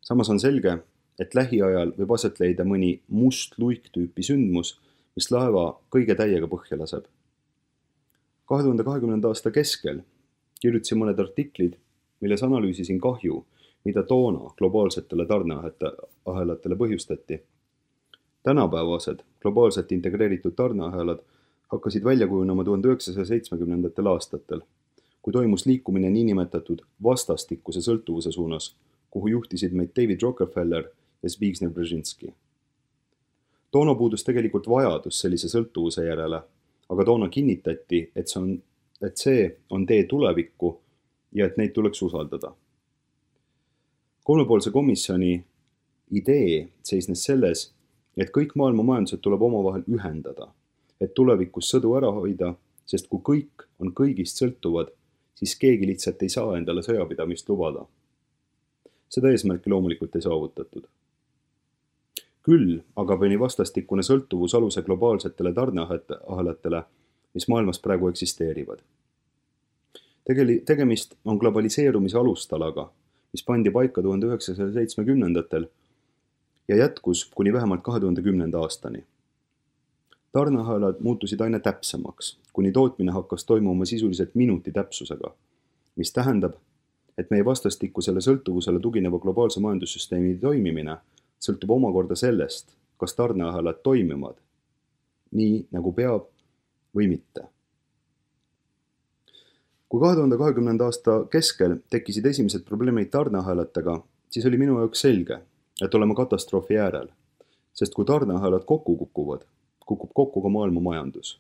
Samas on selge, et lähiajal võib aset leida mõni must luiktüüpi sündmus, mis laeva kõige täiega põhja laseb. kahe tuhande kahekümnenda aasta keskel kirjutasin mõned artiklid, milles analüüsisin kahju, mida toona globaalsetele tarneahelatele põhjustati. Tänapäevased globaalselt integreeritud tarneahelad hakkasid välja kujunema tuhande üheksasaja seitsmekümnendatel aastatel, kui toimus liikumine niinimetatud vastastikuse sõltuvuse suunas, kuhu juhtisid meid David Rockefeller ja Zbigniew Brzezinski. Toona puudus tegelikult vajadus sellise sõltuvuse järele, aga toona kinnitati, et see on, et see on tee tulevikku ja et neid tuleks usaldada. Kolmepoolse komisjoni idee seisnes selles, et kõik maailma majandused tuleb omavahel ühendada, et tulevikus sõdu ära hoida, sest kui kõik on kõigist sõltuvad, siis keegi lihtsalt ei saa endale sõjapidamist lubada. Seda eesmärki loomulikult ei saavutatud. Küll aga pani vastastikune sõltuvus aluse globaalsetele tarneahelatele, mis maailmas praegu eksisteerivad. Tegeli, tegemist on globaliseerumise alustalaga, mis pandi paika tuhande üheksasaja seitsmekümnendatel ja jätkus kuni vähemalt kahe tuhande kümnenda aastani. Tarneahelad muutusid aina täpsemaks, kuni tootmine hakkas toimuma sisuliselt minuti täpsusega, mis tähendab, et meie vastastikusele sõltuvusele tugineva globaalse majandussüsteemi toimimine sõltub omakorda sellest, kas tarneahelad toimivad nii, nagu peab või mitte. Kui kahe tuhande kahekümnenda aasta keskel tekkisid esimesed probleemid tarneahelatega, siis oli minu jaoks selge, et oleme katastroofi äärel, sest kui tarneahelad kokku kukuvad, kukub kokku ka maailma majandus.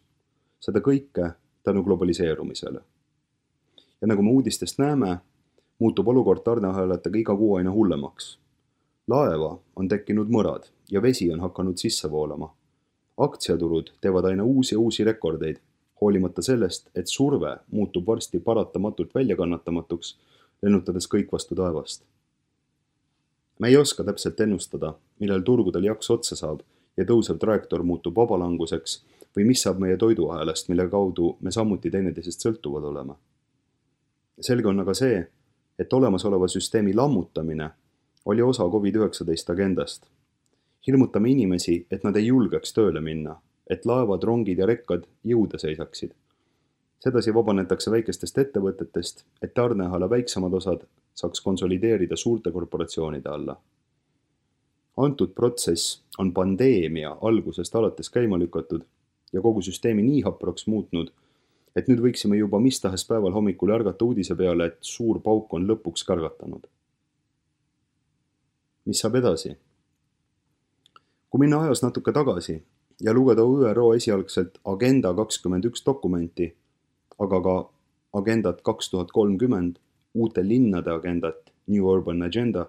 Seda kõike tänu globaliseerumisele. Ja nagu me uudistest näeme, muutub olukord tarneahelatega iga kuu aina hullemaks. Laeva on tekkinud mõrad ja vesi on hakanud sisse voolama. Aktsiaturud teevad aina uusi ja uusi rekordeid, hoolimata sellest, et surve muutub varsti paratamatult väljakannatamatuks, lennutades kõik vastu taevast. Me ei oska täpselt ennustada, millal turgudel jaks otsa saab ja tõusev trajektoor muutub vabalanguseks või mis saab meie toiduahelast, mille kaudu me samuti teineteisest sõltuvad olema. Selge on aga see, et olemasoleva süsteemi lammutamine oli osa covid üheksateist agendast. Hirmutame inimesi, et nad ei julgeks tööle minna, et laevad, rongid ja rekkad jõude seisaksid. Sedasi vabanetakse väikestest ettevõtetest, et tarneahala väiksemad osad saaks konsolideerida suurte korporatsioonide alla. Antud protsess on pandeemia algusest alates käima lükatud ja kogu süsteemi nii hapraks muutnud, et nüüd võiksime juba mis tahes päeval hommikul ärgata uudise peale, et suur pauk on lõpuks kargatanud. Mis saab edasi? Kui minna ajas natuke tagasi ja lugeda Ü R O esialgselt Agenda kakskümmend üks dokumenti, aga ka Agendat kaks tuhat kolmkümmend, uute linnade agendat, New Urban Agenda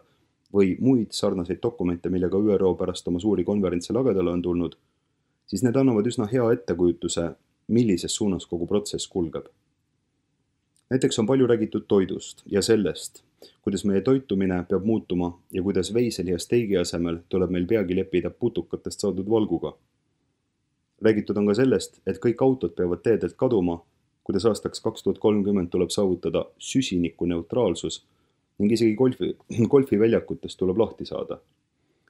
või muid sarnaseid dokumente, millega Ü R O pärast oma suuri konverentse lagedale on tulnud, siis need annavad üsna hea ettekujutuse, millises suunas kogu protsess kulgeb. Näiteks on palju räägitud toidust ja sellest, kuidas meie toitumine peab muutuma ja kuidas veiseli ja steigi asemel tuleb meil peagi leppida putukatest saadud valguga. Räägitud on ka sellest, et kõik autod peavad teedelt kaduma, kuidas aastaks kaks tuhat kolmkümmend tuleb saavutada süsiniku neutraalsus ning isegi golfi, golfiväljakutest tuleb lahti saada.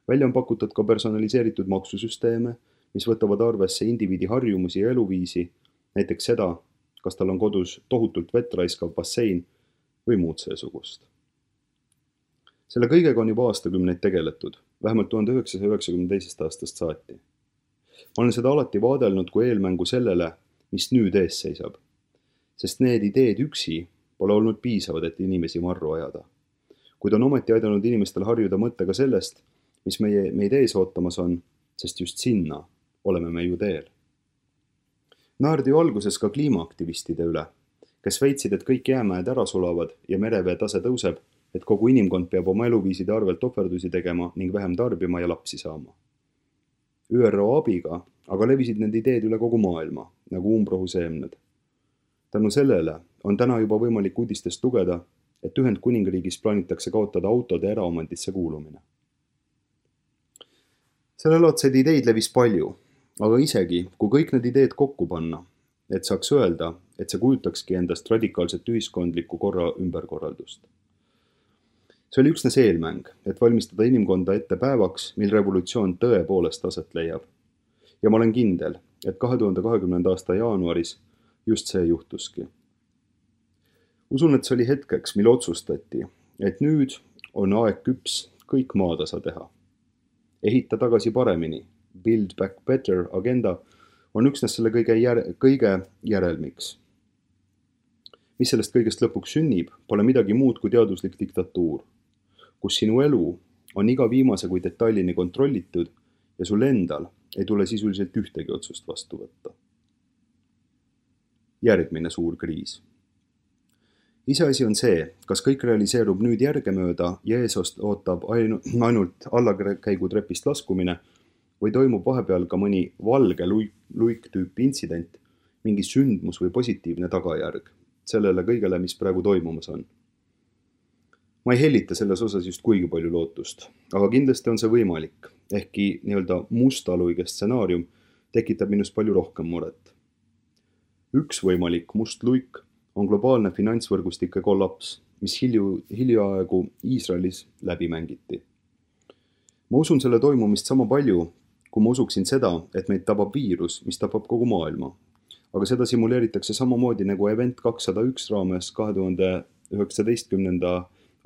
Välja on pakutud ka personaliseeritud maksusüsteeme, mis võtavad arvesse indiviidi harjumusi ja eluviisi, näiteks seda, kas tal on kodus tohutult vett raiskav bassein või muud seesugust. Selle kõigega on juba aastakümneid tegeletud, vähemalt tuhande üheksasaja üheksakümne teisest aastast saati. Ma olen seda alati vaadelnud kui eelmängu sellele, mis nüüd ees seisab, sest need ideed üksi pole olnud piisavad, et inimesi marru ajada. Kuid on ometi aidanud inimestel harjuda mõttega sellest, mis meie, meid ees ootamas on, sest just sinna oleme me ju teel. Naerdi ju alguses ka kliimaaktivistide üle, kes väitsid, et kõik jäämäed ära sulavad ja merevee tase tõuseb, et kogu inimkond peab oma eluviiside arvelt ohverdusi tegema ning vähem tarbima ja lapsi saama. Ü R O abiga aga levisid need ideed üle kogu maailma, nagu umbrohu seemned. Tänu sellele on täna juba võimalik uudistest lugeda, et Ühendkuningriigis plaanitakse kaotada autode eraomandisse kuulumine. Selle laadseid ideid levis palju, aga isegi, kui kõik need ideed kokku panna, et saaks öelda, et see kujutakski endast radikaalset ühiskondlikku korra ümberkorraldust. See oli üksnes eelmäng, et valmistada inimkonda ette päevaks, mil revolutsioon tõepoolest aset leiab. Ja ma olen kindel, et kahe tuhande kahekümnenda aasta jaanuaris just see juhtuski. Usun, et see oli hetkeks, mil otsustati, et nüüd on aeg küps kõik maatasa teha. Ehita tagasi paremini, Build Back Better agenda on üksnes selle kõige, jär, kõige järelmiks. Mis sellest kõigest lõpuks sünnib, pole midagi muud kui teaduslik diktatuur, kus sinu elu on iga viimase kui detailini kontrollitud ja sul endal ei tule sisuliselt ühtegi otsust vastu võtta. Järgmine suur kriis. Iseasi on see, kas kõik realiseerub nüüd järgemööda ja eesost ootab ainult allakäigu trepist laskumine või toimub vahepeal ka mõni valge luik, luik tüüpi intsident, mingi sündmus või positiivne tagajärg sellele kõigele, mis praegu toimumas on. Ma ei hellita selles osas just kuigi palju lootust, aga kindlasti on see võimalik, ehkki nii-öelda mustaluige stsenaarium tekitab minust palju rohkem muret. Üks võimalik must luik on globaalne finantsvõrgustike kollaps, mis hilju, hiljuaegu Iisraelis läbi mängiti. Ma usun selle toimumist sama palju, kui ma usuksin seda, et meid tabab viirus, mis tabab kogu maailma. Aga seda simuleeritakse samamoodi nagu Event kakssada üks raames kahe tuhande üheksateistkümnenda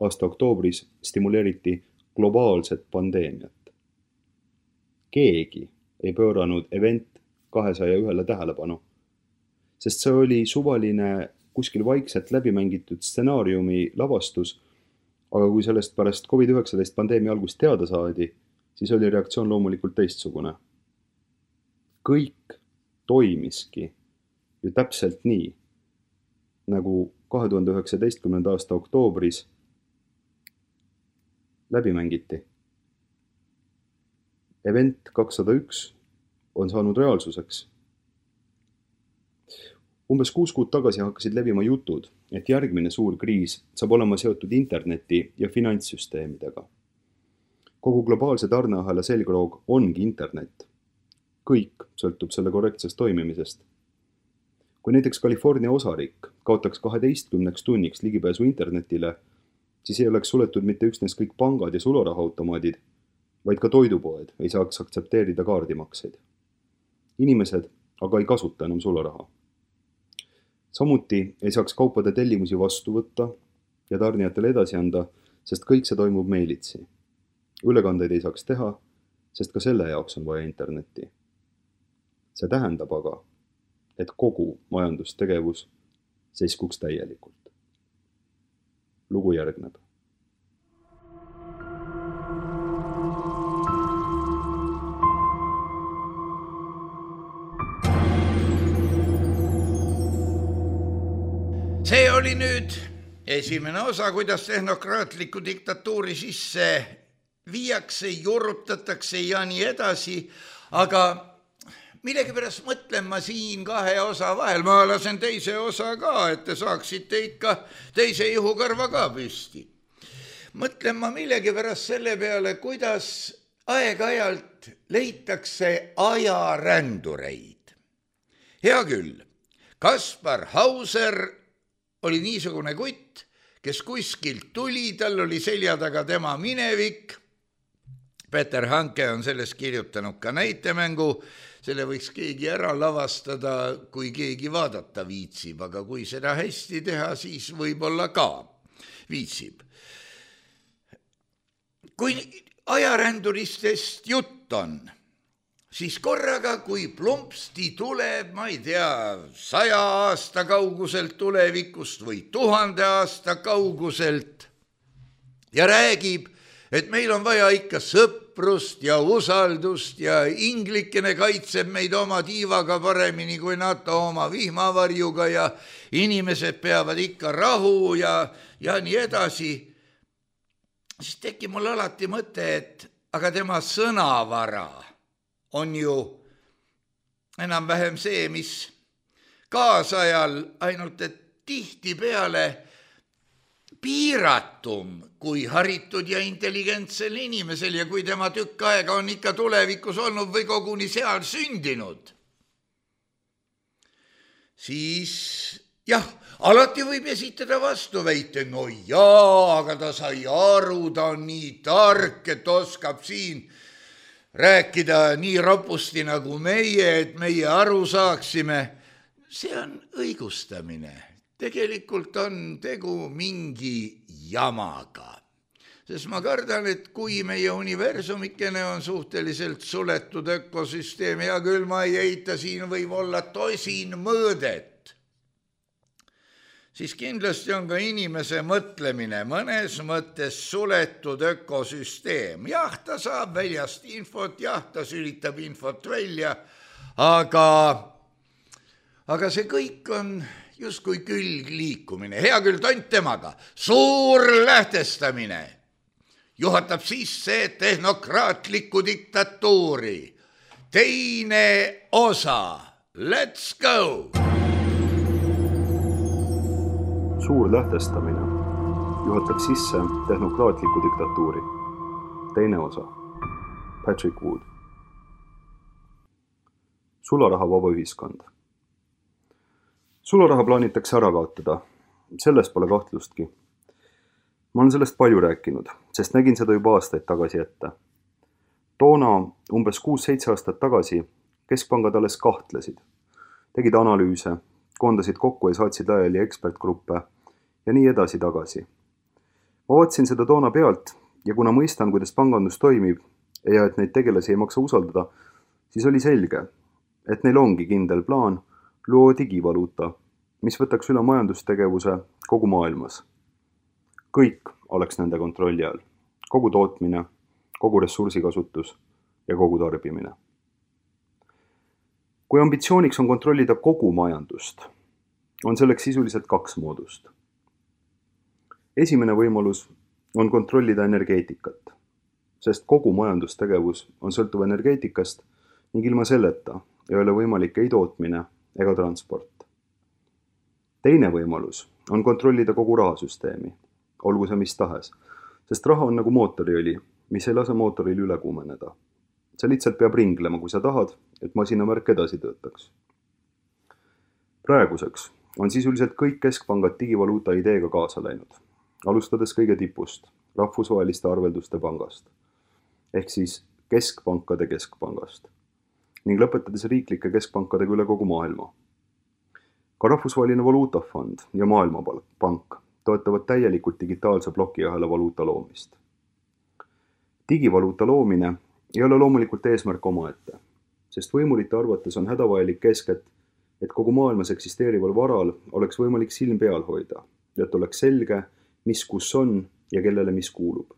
aasta oktoobris stimuleeriti globaalset pandeemiat. Keegi ei pööranud Event kahesaja ühele tähelepanu, sest see oli suvaline kuskil vaikselt läbimängitud stsenaariumi lavastus, aga kui sellest pärast covid üheksateist pandeemia algust teada saadi, siis oli reaktsioon loomulikult teistsugune. Kõik toimiski ju täpselt nii, nagu kahe tuhande üheksateistkümnenda aasta oktoobris läbi mängiti. Event kakssada üks on saanud reaalsuseks. Umbes kuus kuud tagasi hakkasid levima jutud, et järgmine suur kriis saab olema seotud interneti ja finantssüsteemidega. Kogu globaalse tarneahela selgroog ongi internet. Kõik sõltub selle korrektsest toimimisest. Kui näiteks California osariik kaotaks kaheteistkümneks tunniks ligipääsu internetile, siis ei oleks suletud mitte üksnes kõik pangad ja sularahaautomaadid, vaid ka toidupoed ei saaks aktsepteerida kaardimakseid. Inimesed aga ei kasuta enam sularaha. Samuti ei saaks kaupade tellimusi vastu võtta ja tarnijatele edasi anda, sest kõik see toimub meilitsi. Ülekandeid ei saaks teha, sest ka selle jaoks on vaja internetti. See tähendab aga, et kogu majandustegevus seiskuks täielikult. Lugu järgneb. See oli nüüd esimene osa, kuidas tehnokraatlikku diktatuuri sisse viiakse, juurutatakse ja nii edasi, aga millegipärast mõtlen ma siin kahe osa vahel, ma lasen teise osa ka, et te saaksite ikka teise ihukarva ka püsti. Mõtlen ma millegipärast selle peale, kuidas aeg-ajalt leitakse ajarändureid. Hea küll, Kaspar Hauser oli niisugune kutt, kes kuskilt tuli, tal oli selja taga tema minevik. Peter Hanke on sellest kirjutanud ka näitemängu, selle võiks keegi ära lavastada, kui keegi vaadata viitsib, aga kui seda hästi teha, siis võib-olla ka viitsib. Kui ajaränduristest jutt on, siis korraga, kui plumpsti tuleb, ma ei tea, saja aasta kauguselt tulevikust või tuhande aasta kauguselt ja räägib, et meil on vaja ikka sõprust ja usaldust ja inglikene kaitseb meid oma tiivaga paremini kui NATO oma vihmavarjuga ja inimesed peavad ikka rahu ja, ja nii edasi, siis tekib mul alati mõte, et aga tema sõnavara on ju enam-vähem see, mis kaasajal, ainult et tihti peale piiratum kui haritud ja intelligentsel inimesel ja kui tema tükk aega on ikka tulevikus olnud või koguni seal sündinud, siis jah, alati võib esitada vastuväite, no jaa, aga ta sai aru, ta on nii tark, et oskab siin rääkida nii ropusti nagu meie, et meie aru saaksime. See on õigustamine. Tegelikult on tegu mingi jamaga. Sest ma kardan, et kui meie universumikene on suhteliselt suletud ökosüsteem, ja küll ma ei eita, siin võib olla tosin mõõdet, siis kindlasti on ka inimese mõtlemine mõnes mõttes suletud ökosüsteem. Jah, ta saab väljast infot, jah, ta sülitab infot välja, aga, aga see kõik on justkui külgliikumine. Hea küll, tont temaga. Suur lähtestamine juhatab sisse tehnokraatlikku diktatuuri. Teine osa. Let's go! Suur lähtestamine juhatab sisse tehnokraatliku diktatuuri. Teine osa. Patrick Wood. Sularaha vaba ühiskond. Sularaha plaanitakse ära kaotada. Selles pole kahtlustki. Ma olen sellest palju rääkinud, sest nägin seda juba aastaid tagasi ette. Toona umbes kuus-seitse aastat tagasi keskpangad alles kahtlesid. Tegid analüüse, koondasid kokku ja saatsid laiali ekspertgruppe ja nii edasi tagasi. Ma vaatasin seda toona pealt ja kuna mõistan, kuidas pangandus toimib ja et neid tegelasi ei maksa usaldada, siis oli selge, et neil ongi kindel plaan luua digivaluuta, mis võtaks üle majandustegevuse kogu maailmas. Kõik oleks nende kontrolli all. Kogu tootmine, kogu ressursikasutus ja kogu tarbimine. Kui ambitsiooniks on kontrollida kogu majandust, on selleks sisuliselt kaks moodust. Esimene võimalus on kontrollida energeetikat, sest kogu majandustegevus on sõltuv energeetikast ning ilma selleta ei ole võimalik ei tootmine ega transport. Teine võimalus on kontrollida kogu rahasüsteemi, olgu see mis tahes, sest raha on nagu mootoriõli, mis ei lase mootoril üle kuumeneda. See lihtsalt peab ringlema, kui sa tahad, et masinavärk edasi töötaks. Praeguseks on sisuliselt kõik keskpangad digivaluuta ideega kaasa läinud, alustades kõige tipust, rahvusvaheliste arvelduste pangast, ehk siis keskpankade keskpangast, ning lõpetades riiklike keskpankadega üle kogu maailma. Ka rahvusvaheline valuutafond ja maailmapank toetavad täielikult digitaalse plokiahela valuuta loomist. Digivaluuta loomine ei ole loomulikult eesmärk omaette, sest võimulite arvates on hädavajalik kesket, et kogu maailmas eksisteerival varal oleks võimalik silm peal hoida, et oleks selge, mis kus on ja kellele mis kuulub.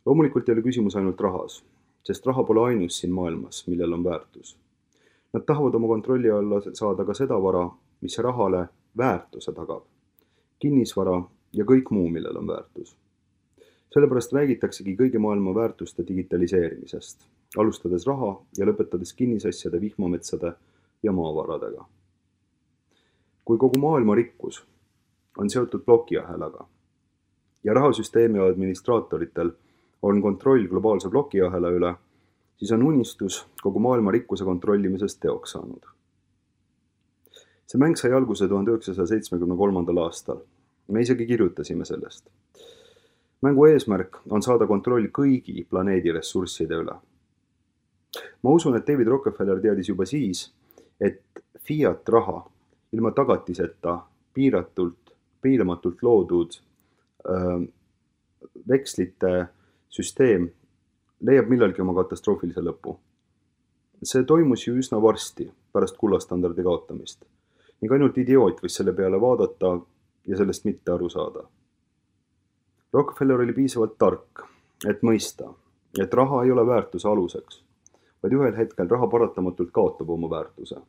Loomulikult ei ole küsimus ainult rahas, sest raha pole ainus siin maailmas, millel on väärtus. Nad tahavad oma kontrolli alla saada ka seda vara, mis rahale väärtuse tagab, kinnisvara ja kõik muu, millel on väärtus. Sellepärast räägitaksegi kõigi maailma väärtuste digitaliseerimisest, alustades raha ja lõpetades kinnisasjade, vihmametsade ja maavaradega. Kui kogu maailma rikkus on seotud plokiahelaga ja rahasüsteemi administraatoritel on kontroll globaalse plokiahela üle, siis on unistus kogu maailma rikkuse kontrollimisest teoks saanud. See mäng sai alguse tuhande üheksasaja seitsmekümne kolmandal aastal. Me isegi kirjutasime sellest. Mängu eesmärk on saada kontroll kõigi planeedi ressursside üle. Ma usun, et David Rockefeller teadis juba siis, et fiat raha ilma tagatiseta piiratult, piiramatult loodud öö, vekslite süsteem leiab millalgi oma katastroofilise lõpu. See toimus ju üsna varsti pärast kullastandardi kaotamist. Ning ainult idioot võis selle peale vaadata ja sellest mitte aru saada. Rockefeller oli piisavalt tark, et mõista, et raha ei ole väärtuse aluseks, vaid ühel hetkel raha paratamatult kaotab oma väärtuse.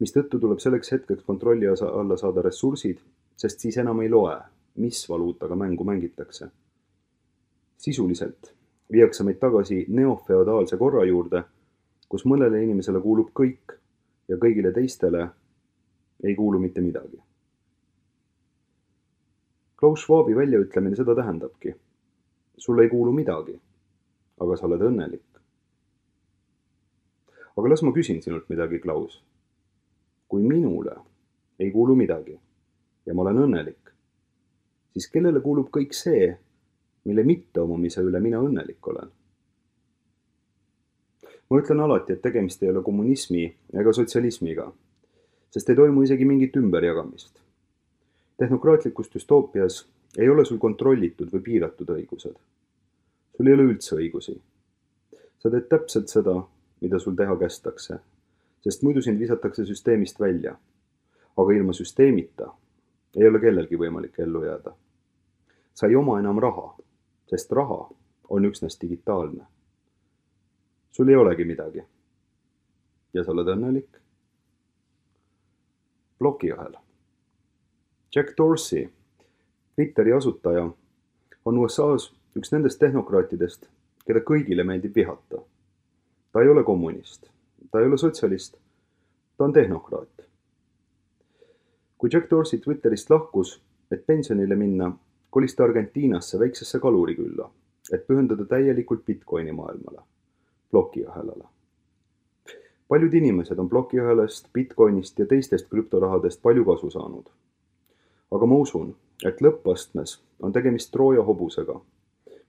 Mis tõttu tuleb selleks hetkeks kontrolli alla saada ressursid, sest siis enam ei loe, mis valuutaga mängu mängitakse. Sisuliselt viiakse meid tagasi neofeodaalse korra juurde, kus mõnele inimesele kuulub kõik ja kõigile teistele ei kuulu mitte midagi. Klaus Schwabi väljaütlemine seda tähendabki. Sulle ei kuulu midagi, aga sa oled õnnelik. Aga las ma küsin sinult midagi, Klaus. Kui minule ei kuulu midagi ja ma olen õnnelik, siis kellele kuulub kõik see, mille mitte omamise üle mina õnnelik olen? Ma ütlen alati, et tegemist ei ole kommunismi ega sotsialismiga, sest ei toimu isegi mingit ümberjagamist. Tehnokraatlikus düstoopias ei ole sul kontrollitud või piiratud õigused. Sul ei ole üldse õigusi. Sa teed täpselt seda, mida sul teha kästakse, sest muidu sind visatakse süsteemist välja. Aga ilma süsteemita ei ole kellelgi võimalik ellu jääda. Sa ei oma enam raha, sest raha on üksnes digitaalne. Sul ei olegi midagi. Ja sa oled õnnelik? Plokiahel. Jack Dorsey, Twitteri asutaja, on U S A's üks nendest tehnokraatidest, keda kõigile meeldib vihata. Ta ei ole kommunist, ta ei ole sotsialist, ta on tehnokraat. Kui Jack Dorsey Twitterist lahkus, et pensionile minna, kolis ta Argentiinasse väiksesse kalurikülla, et pühendada täielikult Bitcoini maailmale, plokiahelale. Paljud inimesed on plokiahelast, Bitcoinist ja teistest krüptorahadest palju kasu saanud. Aga ma usun, et lõppastmes on tegemist Trooja hobusega,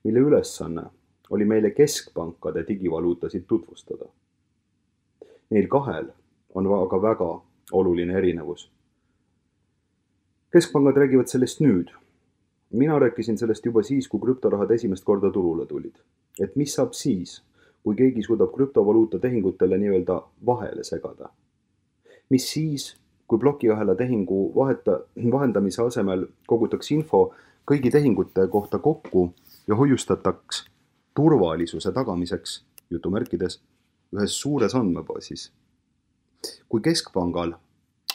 mille ülesanne oli meile keskpankade digivaluutasid tutvustada. Neil kahel on aga väga oluline erinevus. Keskpangad räägivad sellest nüüd. Mina rääkisin sellest juba siis, kui krüptorahad esimest korda turule tulid. Et mis saab siis, kui keegi suudab krüptovaluuta tehingutele nii-öelda vahele segada. Mis siis, kui plokiahela tehingu vaheta, vahendamise asemel kogutaks info kõigi tehingute kohta kokku ja hoiustataks turvalisuse tagamiseks, jutumärkides, ühes suures andmebaasis. Kui keskpangal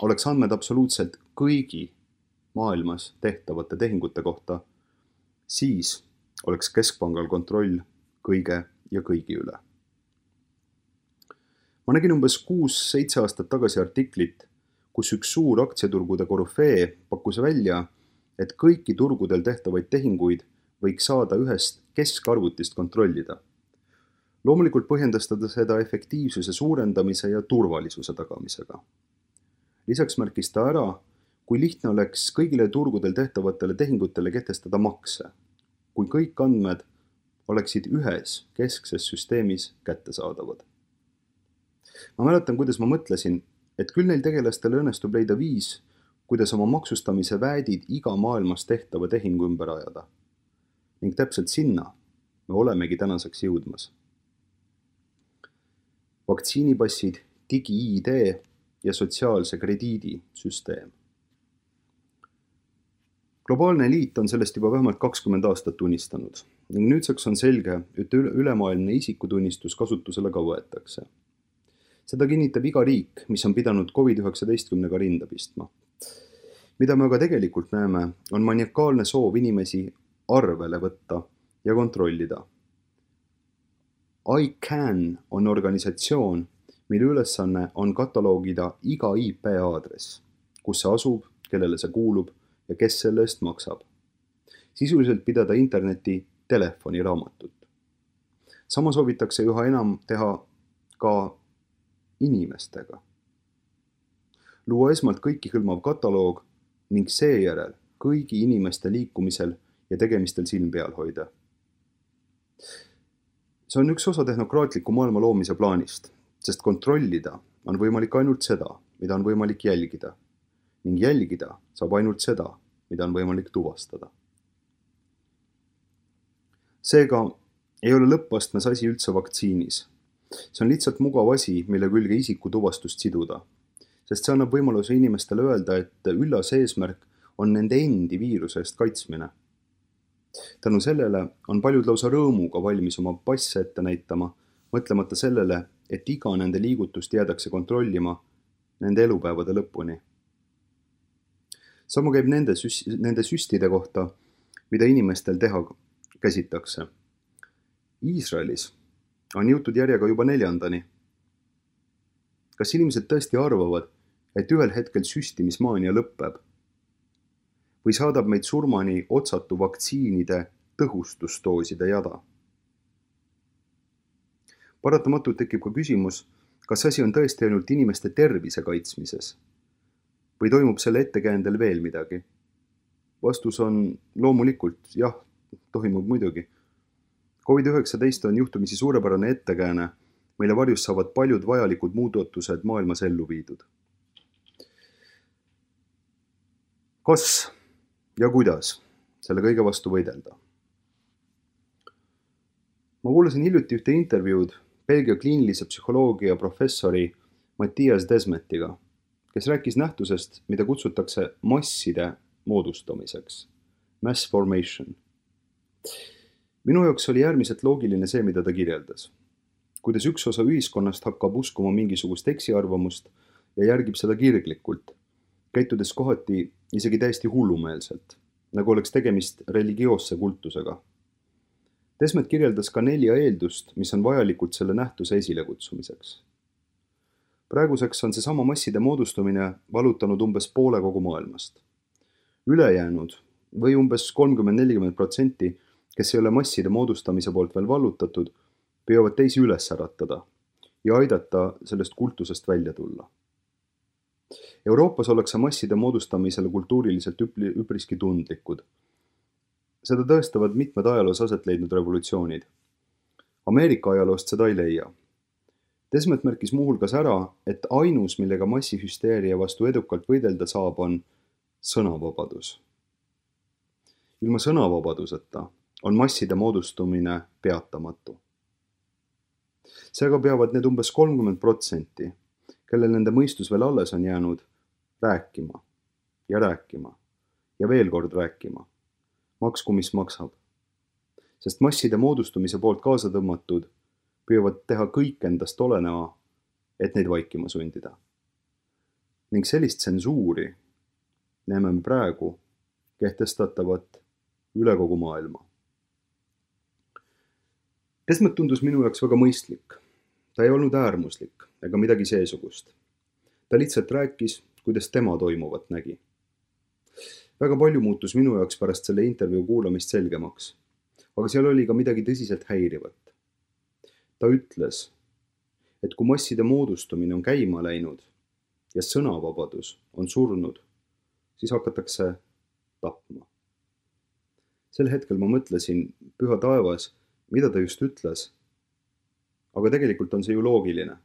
oleks andmed absoluutselt kõigi maailmas tehtavate tehingute kohta, siis oleks keskpangal kontroll kõige ja kõigi üle. Ma nägin umbes kuus-seitse aastat tagasi artiklit, kus üks suur aktsiaturgude korüfee pakkus välja, et kõiki turgudel tehtavaid tehinguid võiks saada ühest keskarvutist kontrollida. Loomulikult põhjendas ta seda efektiivsuse suurendamise ja turvalisuse tagamisega. Lisaks märkis ta ära, kui lihtne oleks kõigile turgudel tehtavatele tehingutele kehtestada makse, kui kõik andmed oleksid ühes keskses süsteemis kättesaadavad. Ma mäletan, kuidas ma mõtlesin, et küll neil tegelastele õnnestub leida viis, kuidas oma maksustamise väädid iga maailmas tehtava tehingu ümber ajada. Ning täpselt sinna me olemegi tänaseks jõudmas. Vaktsiinipassid, digi-I D ja sotsiaalse krediidi süsteem. Globaalne liit on sellest juba vähemalt kakskümmend aastat tunnistanud ning nüüdseks on selge, et ülemaailmne isikutunnistus kasutusele ka võetakse. Seda kinnitab iga riik, mis on pidanud covid üheksateistkümnega rinda pistma. Mida me aga tegelikult näeme, on maniakaalne soov inimesi arvele võtta ja kontrollida. ICANN on organisatsioon, mille ülesanne on kataloogida iga I P aadress, kus see asub, kellele see kuulub ja kes selle eest maksab. Sisuliselt pidada interneti telefoniraamatut. Sama soovitakse üha enam teha ka inimestega. Luua esmalt kõiki hõlmav kataloog ning seejärel kõigi inimeste liikumisel ja tegemistel silm peal hoida. See on üks osa tehnokraatliku maailma loomise plaanist, sest kontrollida on võimalik ainult seda, mida on võimalik jälgida, ning jälgida saab ainult seda, mida on võimalik tuvastada. Seega ei ole lõppastmes asi üldse vaktsiinis. See on lihtsalt mugav asi, mille külge isiku tuvastust siduda, sest see annab võimaluse inimestele öelda, et üllas eesmärk on nende endi viiruse eest kaitsmine. Tänu sellele on paljud lausa rõõmuga valmis oma passe ette näitama, mõtlemata sellele, et iga nende liigutust jäädakse kontrollima nende elupäevade lõpuni. Sama käib nende, süs- nende süstide kohta, mida inimestel teha käsitakse. Iisraelis on jõutud järjega juba neljandani. Kas inimesed tõesti arvavad, et ühel hetkel süstimismaania lõpeb? Või saadab meid surmani otsatu vaktsiinide tõhustusdooside jada? Paratamatult tekib ka küsimus, kas asi on tõesti ainult inimeste tervise kaitsmises? Või toimub selle ettekäändel veel midagi? Vastus on loomulikult, jah, toimub muidugi. covid üheksateist on juhtumisi suurepärane ettekääne, mille varjus saavad paljud vajalikud muudatused maailmas ellu viidud. Kas ja kuidas selle kõige vastu võidelda? Ma kuulasin hiljuti ühte intervjuud Belgia kliinilise psühholoogia professori Matthias Desmetiga, kes rääkis nähtusest, mida kutsutakse masside moodustamiseks, mass formation. Minu jaoks oli äärmiselt loogiline see, mida ta kirjeldas. Kuidas üks osa ühiskonnast hakkab uskuma mingisugust eksiarvamust ja järgib seda kirglikult, käitudes kohati isegi täiesti hullumeelselt, nagu oleks tegemist religioosse kultusega. Desmet kirjeldas ka nelja eeldust, mis on vajalikud selle nähtuse esilekutsumiseks. Praeguseks on see sama masside moodustumine valutanud umbes poole kogu maailmast. Ülejäänud või umbes kolmkümmend kuni nelikümmend protsenti, kes ei ole masside moodustamise poolt veel vallutatud, püüavad teisi üles äratada ja aidata sellest kultusest välja tulla. Euroopas ollakse masside moodustamisele kultuuriliselt üpriski tundlikud. Seda tõestavad mitmed ajaloos aset leidnud revolutsioonid. Ameerika ajaloost seda ei leia. Desmet märkis muuhulgas ära, et ainus, millega massihüsteeria vastu edukalt võidelda saab, on sõnavabadus. Ilma sõnavabaduseta on masside moodustumine peatamatu. Seega peavad need umbes kolmkümmend protsenti, kellel nende mõistus veel alles on jäänud, rääkima ja rääkima ja veel kord rääkima, maksku mis maksab. Sest masside moodustumise poolt kaasa tõmmatud püüavad teha kõik endast oleneva, et neid vaikima sundida. Ning sellist tsensuuri näeme praegu kehtestatavat üle kogu maailma. Desmet tundus minu jaoks väga mõistlik. Ta ei olnud äärmuslik ega midagi seesugust. Ta lihtsalt rääkis, kuidas tema toimuvat nägi. Väga palju muutus minu jaoks pärast selle intervjuu kuulamist selgemaks, aga seal oli ka midagi tõsiselt häirivat. Ta ütles, et kui masside moodustumine on käima läinud ja sõnavabadus on surnud, siis hakatakse tapma. Sel hetkel ma mõtlesin, püha taevas, mida ta just ütles. Aga tegelikult on see ju loogiline,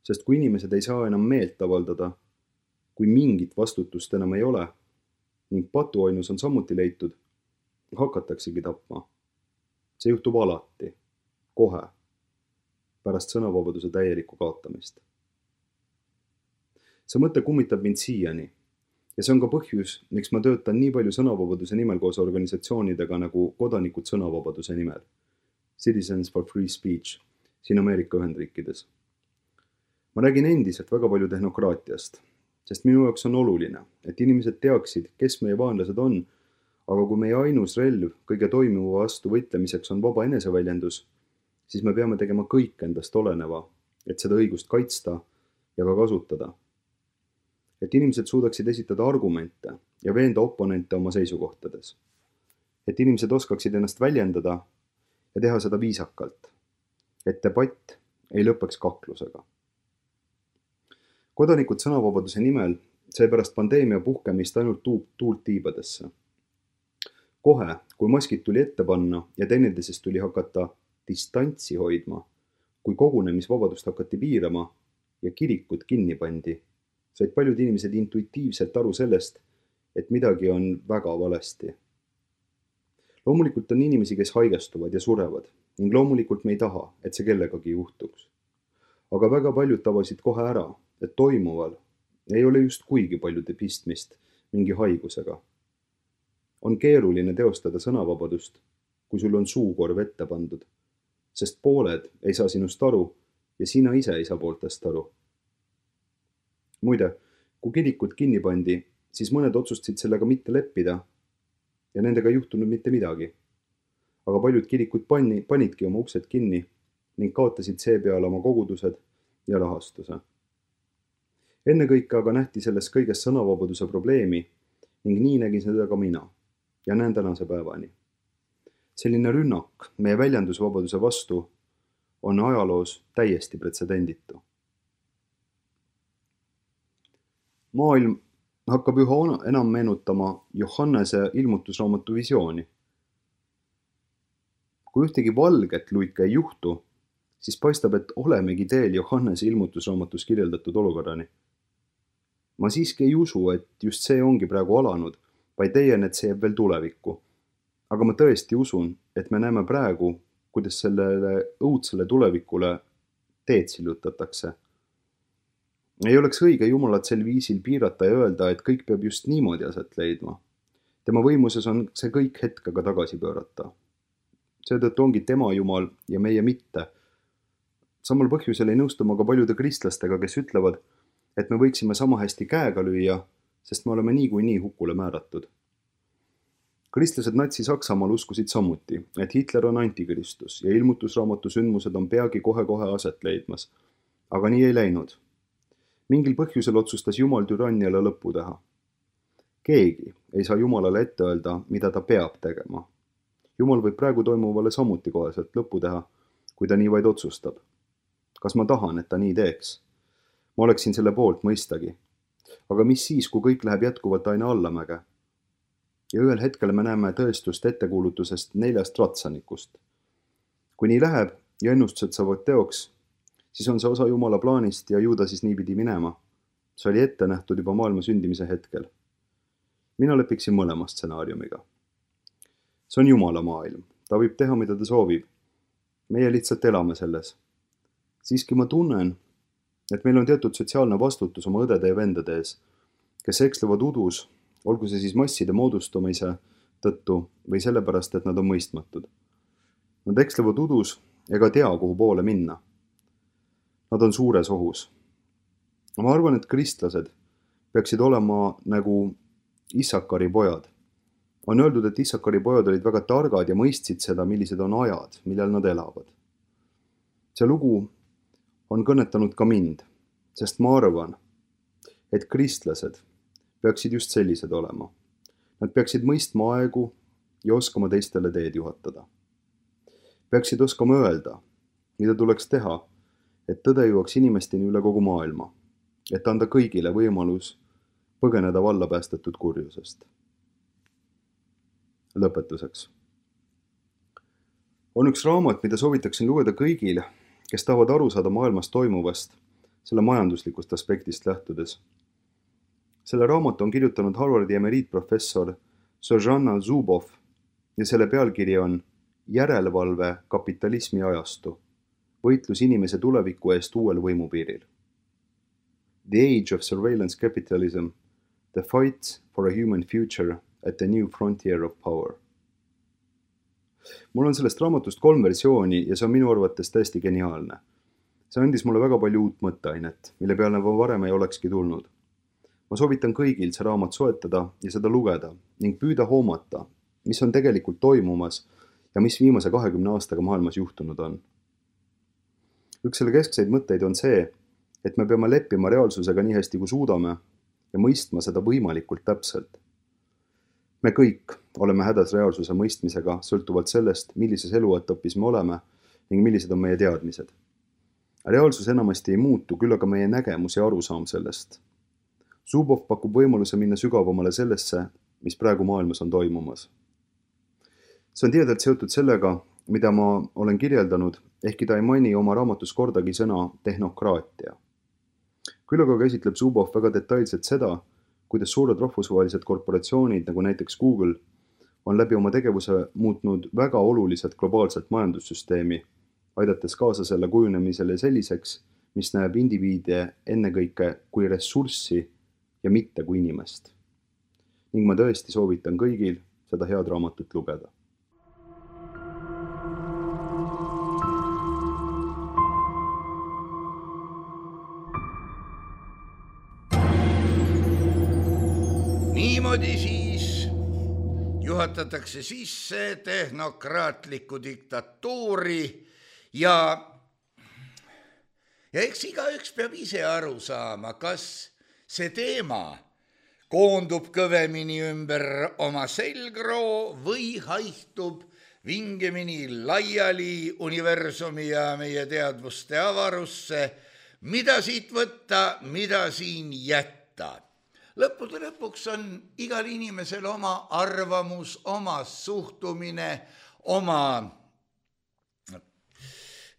sest kui inimesed ei saa enam meelt avaldada, kui mingit vastutust enam ei ole ning patuainus on samuti leitud, hakataksegi tapma. See juhtub alati, kohe, pärast sõnavabaduse täielikku kaotamist. See mõte kummitab mind siiani ja see on ka põhjus, miks ma töötan nii palju sõnavabaduse nimel koos organisatsioonidega nagu Kodanikud sõnavabaduse nimel, Citizens for Free Speech, siin Ameerika Ühendriikides. Ma räägin endiselt väga palju tehnokraatiast, sest minu jaoks on oluline, et inimesed teaksid, kes meie vaenlased on, aga kui meie ainus relv kõige toimuva vastu võitlemiseks on vaba eneseväljendus, siis me peame tegema kõik endast oleneva, et seda õigust kaitsta ja ka kasutada. Et inimesed suudaksid esitada argumente ja veenda oponente oma seisukohtades. Et inimesed oskaksid ennast väljendada ja teha seda viisakalt. Et debatt ei lõpeks kaklusega. Kodanikud sõnavabaduse nimel sai pärast pandeemia puhkemist ainult tuult tiibadesse. Kohe, kui maskid tuli ette panna ja teineteisest tuli hakata distantsi hoidma, kui kogunemisvabadust hakati piirama ja kirikud kinni pandi, said paljud inimesed intuitiivselt aru sellest, et midagi on väga valesti. Loomulikult on inimesi, kes haigestuvad ja surevad ning loomulikult me ei taha, et see kellegagi juhtuks. Aga väga paljud tabasid kohe ära, et toimuval ei ole just kuigi paljude pistmist mingi haigusega. On keeruline teostada sõnavabadust, kui sul on suukorv ette pandud, sest pooled ei saa sinust aru ja sina ise ei saa pooltest aru. Muide, kui kirikud kinni pandi, siis mõned otsustasid sellega mitte leppida ja nendega ei juhtunud mitte midagi. Aga paljud kirikud pani, panidki oma uksed kinni ning kaotasid seepeale oma kogudused ja rahastuse. Ennekõike aga nähti selles kõiges sõnavabaduse probleemi ning nii nägin seda ka mina ja näen tänase päevani. Selline rünnak meie väljendusvabaduse vastu on ajaloos täiesti pretsedenditu. Maailm hakkab üha enam meenutama Johannese ilmutusraamatu visiooni. Kui ühtegi valget luike ei juhtu, siis paistab, et olemegi teel Johannese ilmutusraamatus kirjeldatud olukorrani. Ma siiski ei usu, et just see ongi praegu alanud, vaid teien, et see jääb veel tulevikku. Aga ma tõesti usun, et me näeme praegu, kuidas sellele õudsele tulevikule teed sillutatakse. Ei oleks õige Jumalat sel viisil piirata ja öelda, et kõik peab just niimoodi aset leidma. Tema võimuses on see kõik hetkega tagasi pöörata. Seetõttu ongi tema Jumal ja meie mitte. Samal põhjusel ei nõustu ma ka paljude kristlastega, kes ütlevad, et me võiksime sama hästi käega lüüa, sest me oleme nii kui nii hukule määratud. Kristlased Natsi-Saksamaal uskusid samuti, et Hitler on antikristus ja ilmutusraamatu sündmused on peagi kohe-kohe aset leidmas. Aga nii ei läinud. Mingil põhjusel otsustas Jumal türanniale lõppu teha. Keegi ei saa Jumalale ette öelda, mida ta peab tegema. Jumal võib praegu toimuvale samuti koheselt lõppu teha, kui ta nii vaid otsustab. Kas ma tahan, et ta nii teeks? Ma oleksin selle poolt mõistagi. Aga mis siis, kui kõik läheb jätkuvalt aina allamäge? Ja ühel hetkel me näeme tõestust ettekuulutusest neljast ratsanikust. Kui nii läheb ja ennustused saavad teoks, siis on see osa Jumala plaanist ja ju ta siis nii pidi minema. See oli ette nähtud juba maailma sündimise hetkel. Mina lepiksin mõlema stsenaariumiga. See on Jumala maailm. Ta võib teha, mida ta soovib. Meie lihtsalt elame selles. Siiski ma tunnen, et meil on teatud sotsiaalne vastutus oma õdede ja vendade ees, kes ekslevad udus, olgu see siis masside moodustumise tõttu või sellepärast, et nad on mõistmatud. Nad ekslevad udus ega tea, kuhu poole minna. Nad on suures ohus. Ma arvan, et kristlased peaksid olema nagu Issakari pojad. On öeldud, et Issakari pojad olid väga targad ja mõistsid seda, millised on ajad, millal nad elavad. See lugu on kõnetanud ka mind, sest ma arvan, et kristlased peaksid just sellised olema. Nad peaksid mõistma aegu ja oskama teistele teed juhatada. Peaksid oskama öelda, mida tuleks teha, et tõde jõuaks inimesteni üle kogu maailma, et anda kõigile võimalus põgeneda valla päästetud kurjusest. Lõpetuseks. On üks raamat, mida soovitaksin lugeda kõigile, kes tahavad aru saada maailmas toimuvast, selle majanduslikust aspektist lähtudes. Selle raamatu on kirjutanud Harvardi emeriitprofessor Zsuzsanna Zuboff ja selle pealkiri on Järelevalve kapitalismi ajastu. Võitlus inimese tuleviku eest uuel võimupiiril. The Age of Surveillance Capitalism, The Fight for a Human Future at the New Frontier of Power. Mul on sellest raamatust kolm versiooni ja see on minu arvates täiesti geniaalne. See andis mulle väga palju uut mõtteainet, mille peale ma varem ei olekski tulnud. Ma soovitan kõigil see raamat soetada ja seda lugeda ning püüda hoomata, mis on tegelikult toimumas ja mis viimase kahekümne aastaga maailmas juhtunud on. Üks selle keskseid mõtteid on see, et me peame leppima reaalsusega nii hästi kui suudame ja mõistma seda võimalikult täpselt. Me kõik oleme hädas reaalsuse mõistmisega sõltuvalt sellest, millises eluetapis me oleme ning millised on meie teadmised. Reaalsus enamasti ei muutu, küll aga meie nägemus ja arusaam sellest. Zubov pakub võimaluse minna sügavamale sellesse, mis praegu maailmas on toimumas. See on tiedalt seotud sellega, mida ma olen kirjeldanud, ehkki ta ei maini oma raamatus kordagi sõna tehnokraatia. Küll aga käsitleb Zubov väga detailselt seda, kuidas suured rahvusvahelised korporatsioonid, nagu näiteks Google, on läbi oma tegevuse muutnud väga oluliselt globaalset majandussüsteemi, aidates kaasa selle kujunemisele selliseks, mis näeb indiviide ennekõike kui ressurssi ja mitte kui inimest. Ning ma tõesti soovitan kõigil seda head raamatut lugeda. Niimoodi siis juhatatakse sisse tehnokraatlikku diktatuuri ja, ja eks igaüks peab ise aru saama, kas see teema koondub kõvemini ümber oma selgroo või haihtub vingemini laiali universumi ja meie teadvuste avarusse, mida siit võtta, mida siin jätta. Lõppude lõpuks on igal inimesel oma arvamus, oma suhtumine, oma,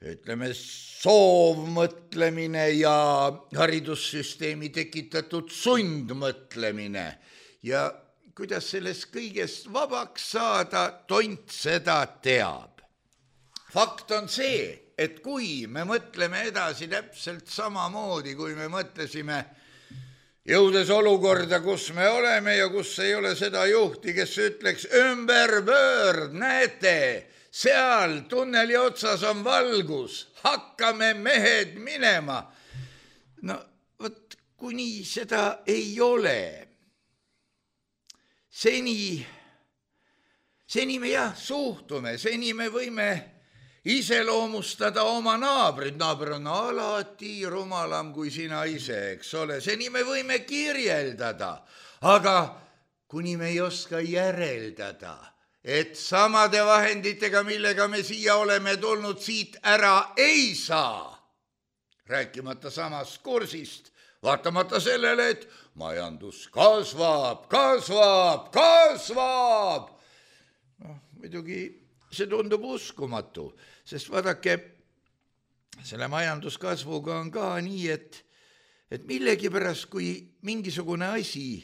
ütleme, soovmõtlemine ja haridussüsteemi tekitatud sundmõtlemine. Ja kuidas sellest kõigest vabaks saada, tont seda teab. Fakt on see, et kui me mõtleme edasi täpselt samamoodi, kui me mõtlesime jõudes olukorda, kus me oleme ja kus ei ole seda juhti, kes ütleks ümber pöörd, näete, seal tunneli otsas on valgus, hakkame mehed minema. No võt, kuni seda ei ole. Seni, seni me jah suhtume, seni me võime iseloomustada oma naabrid. Naaber on alati rumalam kui sina ise, eks ole. Seni me võime kirjeldada, aga kuni me ei oska järeldada, et samade vahenditega, millega me siia oleme tulnud, siit ära ei saa. Rääkimata samast kursist, vaatamata sellele, et majandus kasvab, kasvab, kasvab. No, muidugi see tundub uskumatu, sest vaadake, selle majanduskasvuga on ka nii, et, et millegipärast, kui mingisugune asi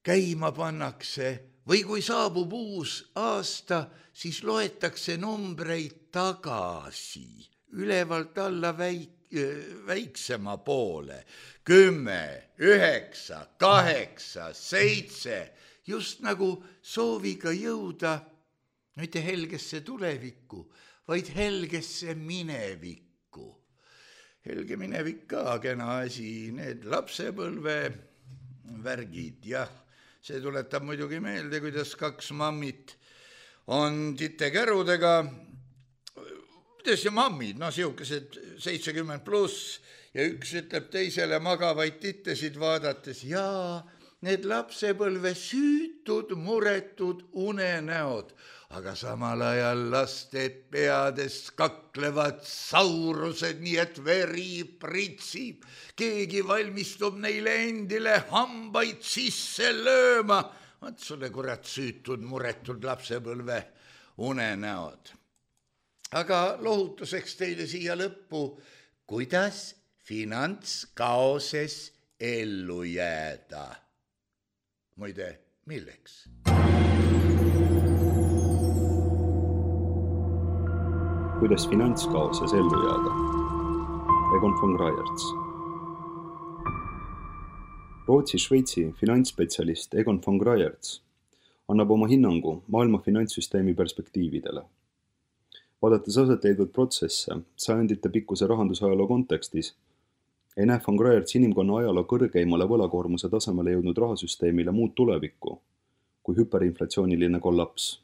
käima pannakse või kui saabub uus aasta, siis loetakse numbreid tagasi, ülevalt alla väik, väiksema poole. Kümme, üheksa, kaheksa, seitse, just nagu sooviga jõuda mitte helgesse tulevikku, vaid helgesse minevikku. Helge minevik ka kena asi, need lapsepõlve värgid, jah. See tuletab muidugi meelde, kuidas kaks mammit on titekärudega, kuidas ja mammid, no siukesed seitsekümmend pluss, ja üks ütleb teisele magavaid tittesid vaadates, jaa, need lapsepõlve süütud, muretud unenäod, aga samal ajal laste peades kaklevad saurused, nii et veri pritsib. Keegi valmistub neile endile hambaid sisse lööma. Vaat sulle kurat süütud, muretud lapsepõlve unenäod. Aga lohutuseks teile siia lõppu, kuidas finantskaoses ellu jääda. Muide, milleks? Kuidas finantskaoses ellu jääda. Egon von Greyerz. Rootsi-Šveitsi finantsspetsialist Egon von Greyerz annab oma hinnangu maailma finantssüsteemi perspektiividele. Vaadates aset leidnud protsesse sajandite pikkuse rahandusajaloo kontekstis, ei näe von Greyerz inimkonna ajaloo kõrgeimale võlakoormuse tasemele jõudnud rahasüsteemile muud tulevikku kui hüperinflatsiooniline kollaps.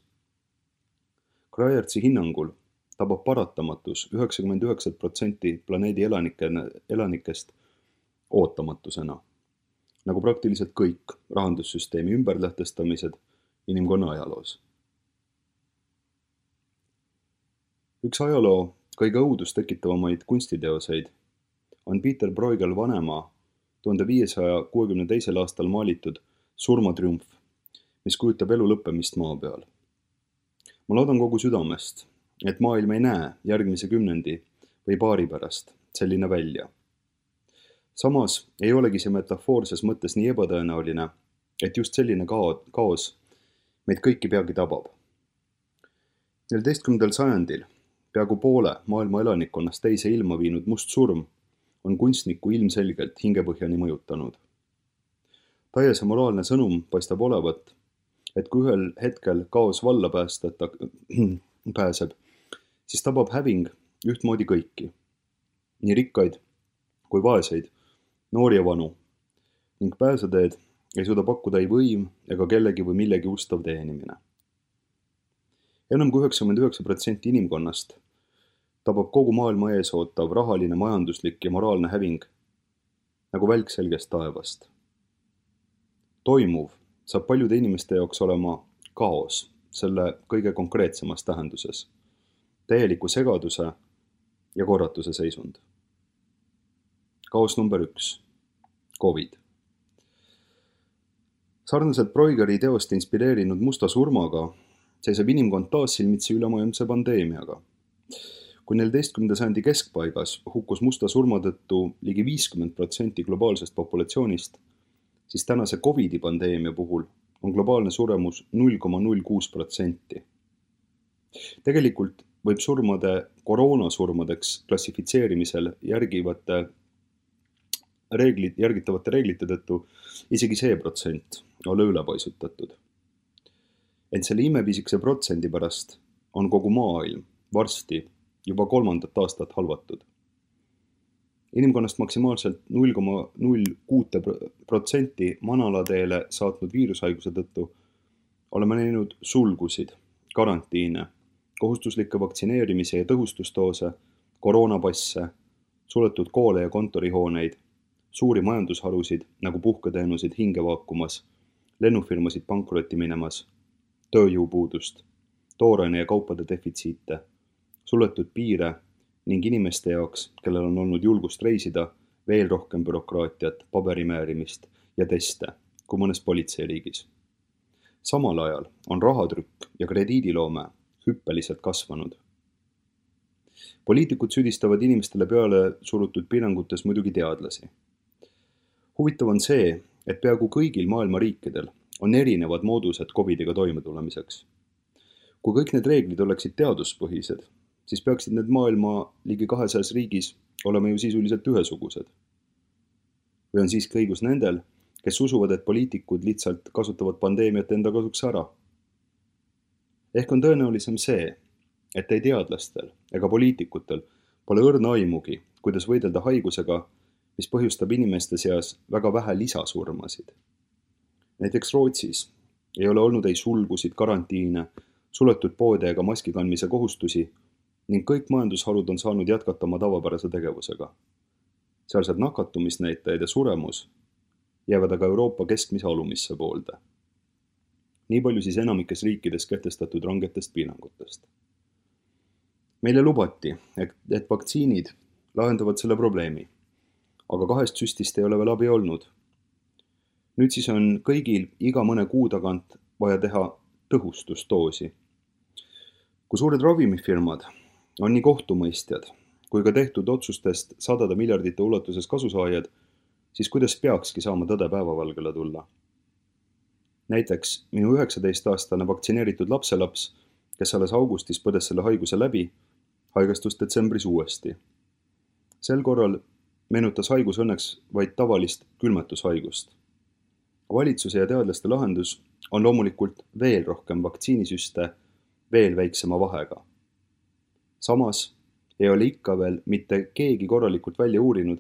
Greyerzi hinnangul tabab paratamatus üheksakümmend üheksa protsenti planeedi elanike, elanikest ootamatusena, nagu praktiliselt kõik rahandussüsteemi ümberlähtestamised inimkonna ajaloos. Üks ajaloo kõige õudust tekitavamaid kunstiteoseid on Peter Bruegel vanema tuhande viiesaja kuuekümne teisel aastal maalitud Surmatriumf, mis kujutab elu lõppemist maa peal. Ma loodan kogu südamest, et maailm ei näe järgmise kümnendi või paari pärast selline välja. Samas ei olegi see metafoorses mõttes nii ebatõenäoline, et just selline kaos meid kõiki peagi tabab. neljateistkümnendal sajandil peaaegu poole maailma elanikkonnast teise ilma viinud must surm on kunstniku ilmselgelt hingepõhjani mõjutanud. Taiese moraalne sõnum paistab olevat, et kui ühel hetkel kaos valla päästeta pääseb, siis tabab häving ühtmoodi kõiki, nii rikkaid kui vaeseid, noori ja vanu, ning pääseteed ei suuda pakkuda ei võim ega kellegi või millegi ustav teenimine. Enam kui üheksakümmend üheksa protsenti inimkonnast tabab kogu maailma ees ootav rahaline, majanduslik ja moraalne häving nagu välk selgest taevast. Toimuv saab paljude inimeste jaoks olema kaos selle kõige konkreetsemas tähenduses, täieliku segaduse ja korratuse seisund. Kaos number üks, Covid. Sarnaselt Bruegeli teost inspireerinud musta surmaga seisab inimkond taas silmitsi ülemaailmse pandeemiaga. Kui neljateistkümnenda sajandi keskpaigas hukkus musta surma tõttu ligi viiskümmend protsenti globaalsest populatsioonist, siis tänase Covidi pandeemia puhul on globaalne suremus null koma null kuus protsenti. Tegelikult võib surmade koroonasurmadeks klassifitseerimisel järgivate reeglid, järgitavate reeglite tõttu isegi see protsent ole ülepaisutatud. Ent selle imepisikese protsendi pärast on kogu maailm varsti juba kolmandat aastat halvatud. Inimkonnast maksimaalselt null koma null kuus protsenti manalateele saatnud viirushaiguse tõttu oleme näinud sulgusid, karantiine, kohustuslikke vaktsineerimise ja tõhustusdoose, koroonapasse, suletud koole ja kontorihooneid, suuri majandusharusid nagu puhketeenusid hinge vaakumas, lennufirmasid pankrotti minemas, tööjõupuudust, tooraine ja kaupade defitsiite, suletud piire ning inimeste jaoks, kellel on olnud julgust reisida, veel rohkem bürokraatiat, paberimäärimist ja teste kui mõnes politseiriigis. Samal ajal on rahatrükk ja krediidiloome hüppeliselt kasvanud. Poliitikud süüdistavad inimestele peale surutud piirangutes muidugi teadlasi. Huvitav on see, et peaaegu kõigil maailma riikidel on erinevad moodused Covidiga toimetulemiseks. Kui kõik need reeglid oleksid teaduspõhised, siis peaksid need maailma ligi kahesajas riigis olema ju sisuliselt ühesugused. Või on siiski õigus nendel, kes usuvad, et poliitikud lihtsalt kasutavad pandeemiat enda kasuks ära. Ehk on tõenäolisem see, et ei teadlastel ega poliitikutel pole õrna aimugi, kuidas võidelda haigusega, mis põhjustab inimeste seas väga vähe lisasurmasid. Näiteks Rootsis ei ole olnud ei sulgusid, karantiine, suletud poode ega maski kandmise kohustusi ning kõik majandusharud on saanud jätkata oma tavapärase tegevusega. Sealsed nakatumisnäitajad ja suremus jäävad aga Euroopa keskmise alumisse poolde. Nii palju siis enamikes riikides kehtestatud rangetest piirangutest. Meile lubati, et vaktsiinid lahendavad selle probleemi, aga kahest süstist ei ole veel abi olnud. Nüüd siis on kõigil iga mõne kuu tagant vaja teha tõhustusdoosi. Kui suured ravimifirmad on nii kohtumõistjad, kui ka tehtud otsustest sadade miljardite ulatuses kasusaajad, siis kuidas peakski saama tõde päevavalgele tulla? Näiteks minu üheksateist-aastane vaktsineeritud lapselaps, kes alles augustis põdes selle haiguse läbi, haigestus detsembris uuesti. Sel korral meenutas haigus õnneks vaid tavalist külmetushaigust. Valitsuse ja teadlaste lahendus on loomulikult veel rohkem vaktsiinisüste veel väiksema vahega. Samas ei ole ikka veel mitte keegi korralikult välja uurinud,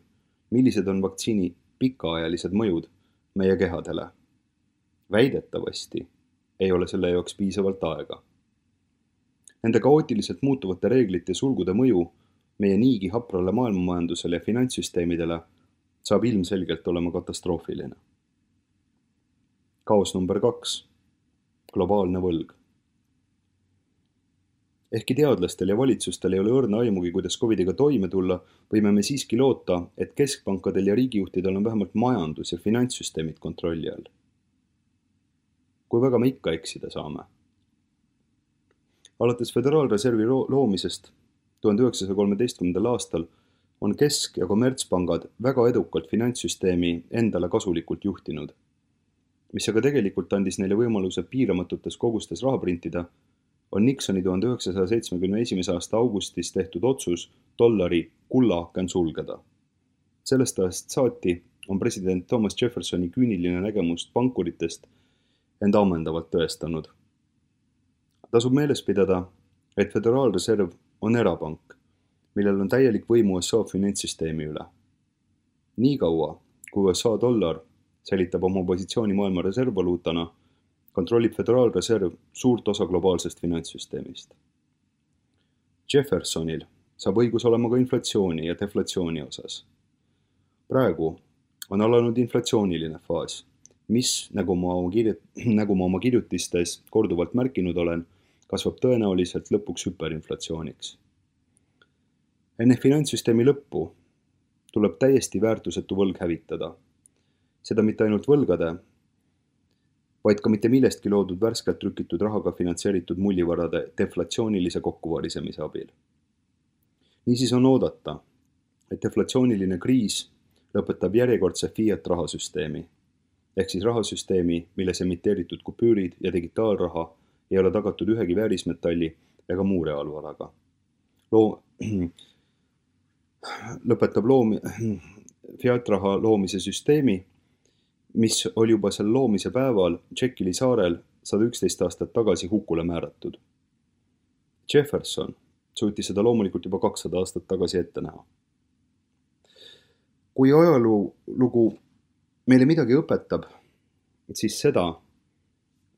millised on vaktsiini pikaajalised mõjud meie kehadele. Väidetavasti ei ole selle jaoks piisavalt aega. Nende kaootiliselt muutuvate reeglite sulgude mõju meie niigi haprale maailmamajandusele ja finantssüsteemidele saab ilmselgelt olema katastroofiline. Kaos number kaks. Globaalne võlg. Ehkki teadlastel ja valitsustel ei ole õrna aimugi, kuidas covidiga toime tulla, võime me siiski loota, et keskpankadel ja riigijuhtidel on vähemalt majandus- ja finantssüsteemid kontrolli all. Kui väga me ikka eksida saame? Alates Föderaalreservi loomisest tuhande üheksasaja kolmeteistkümnendal aastal on kesk- ja kommertspangad väga edukalt finantssüsteemi endale kasulikult juhtinud, mis aga tegelikult andis neile võimaluse piiramatutes kogustes raha printida, on Nixoni tuhande üheksasaja seitsmekümne esimese aasta augustis tehtud otsus dollari kullaaken sulgeda. Sellest ajast saati on president Thomas Jeffersoni küüniline nägemust pankuritest end ammendavalt tõestanud. Tasub meeles pidada, et Föderaalreserv on erapank, millel on täielik võim U S A finantssüsteemi üle. Nii kaua, kui U S A dollar säilitab oma positsiooni maailma reservvaluutana, kontrollib Föderaalreserv suurt osa globaalsest finantssüsteemist. Jeffersonil saab õigus olema ka inflatsiooni ja deflatsiooni osas. Praegu on alanud inflatsiooniline faas, mis, nagu ma oma, kirjut- nagu ma oma kirjutistes korduvalt märkinud olen, kasvab tõenäoliselt lõpuks hüperinflatsiooniks. Enne finantssüsteemi lõppu tuleb täiesti väärtusetu võlg hävitada. Seda mitte ainult võlgade, vaid ka mitte millestki loodud värskelt trükitud rahaga finantseeritud mullivarade deflatsioonilise kokkuvarisemise abil. Niisiis on oodata, et deflatsiooniline kriis lõpetab järjekordse fiat rahasüsteemi, ehk siis rahasüsteemi, milles emiteeritud kupüürid ja digitaalraha ei ole tagatud ühegi väärismetalli ega muu reaalvaraga. Loo... lõpetab loomi... fiat-raha loomise süsteemi, mis oli juba selle loomise päeval Jekyli saarel sada üksteist aastat tagasi hukule määratud. Jefferson suutis seda loomulikult juba kakssada aastat tagasi ette näha. Kui ajalugu meile midagi õpetab, siis seda,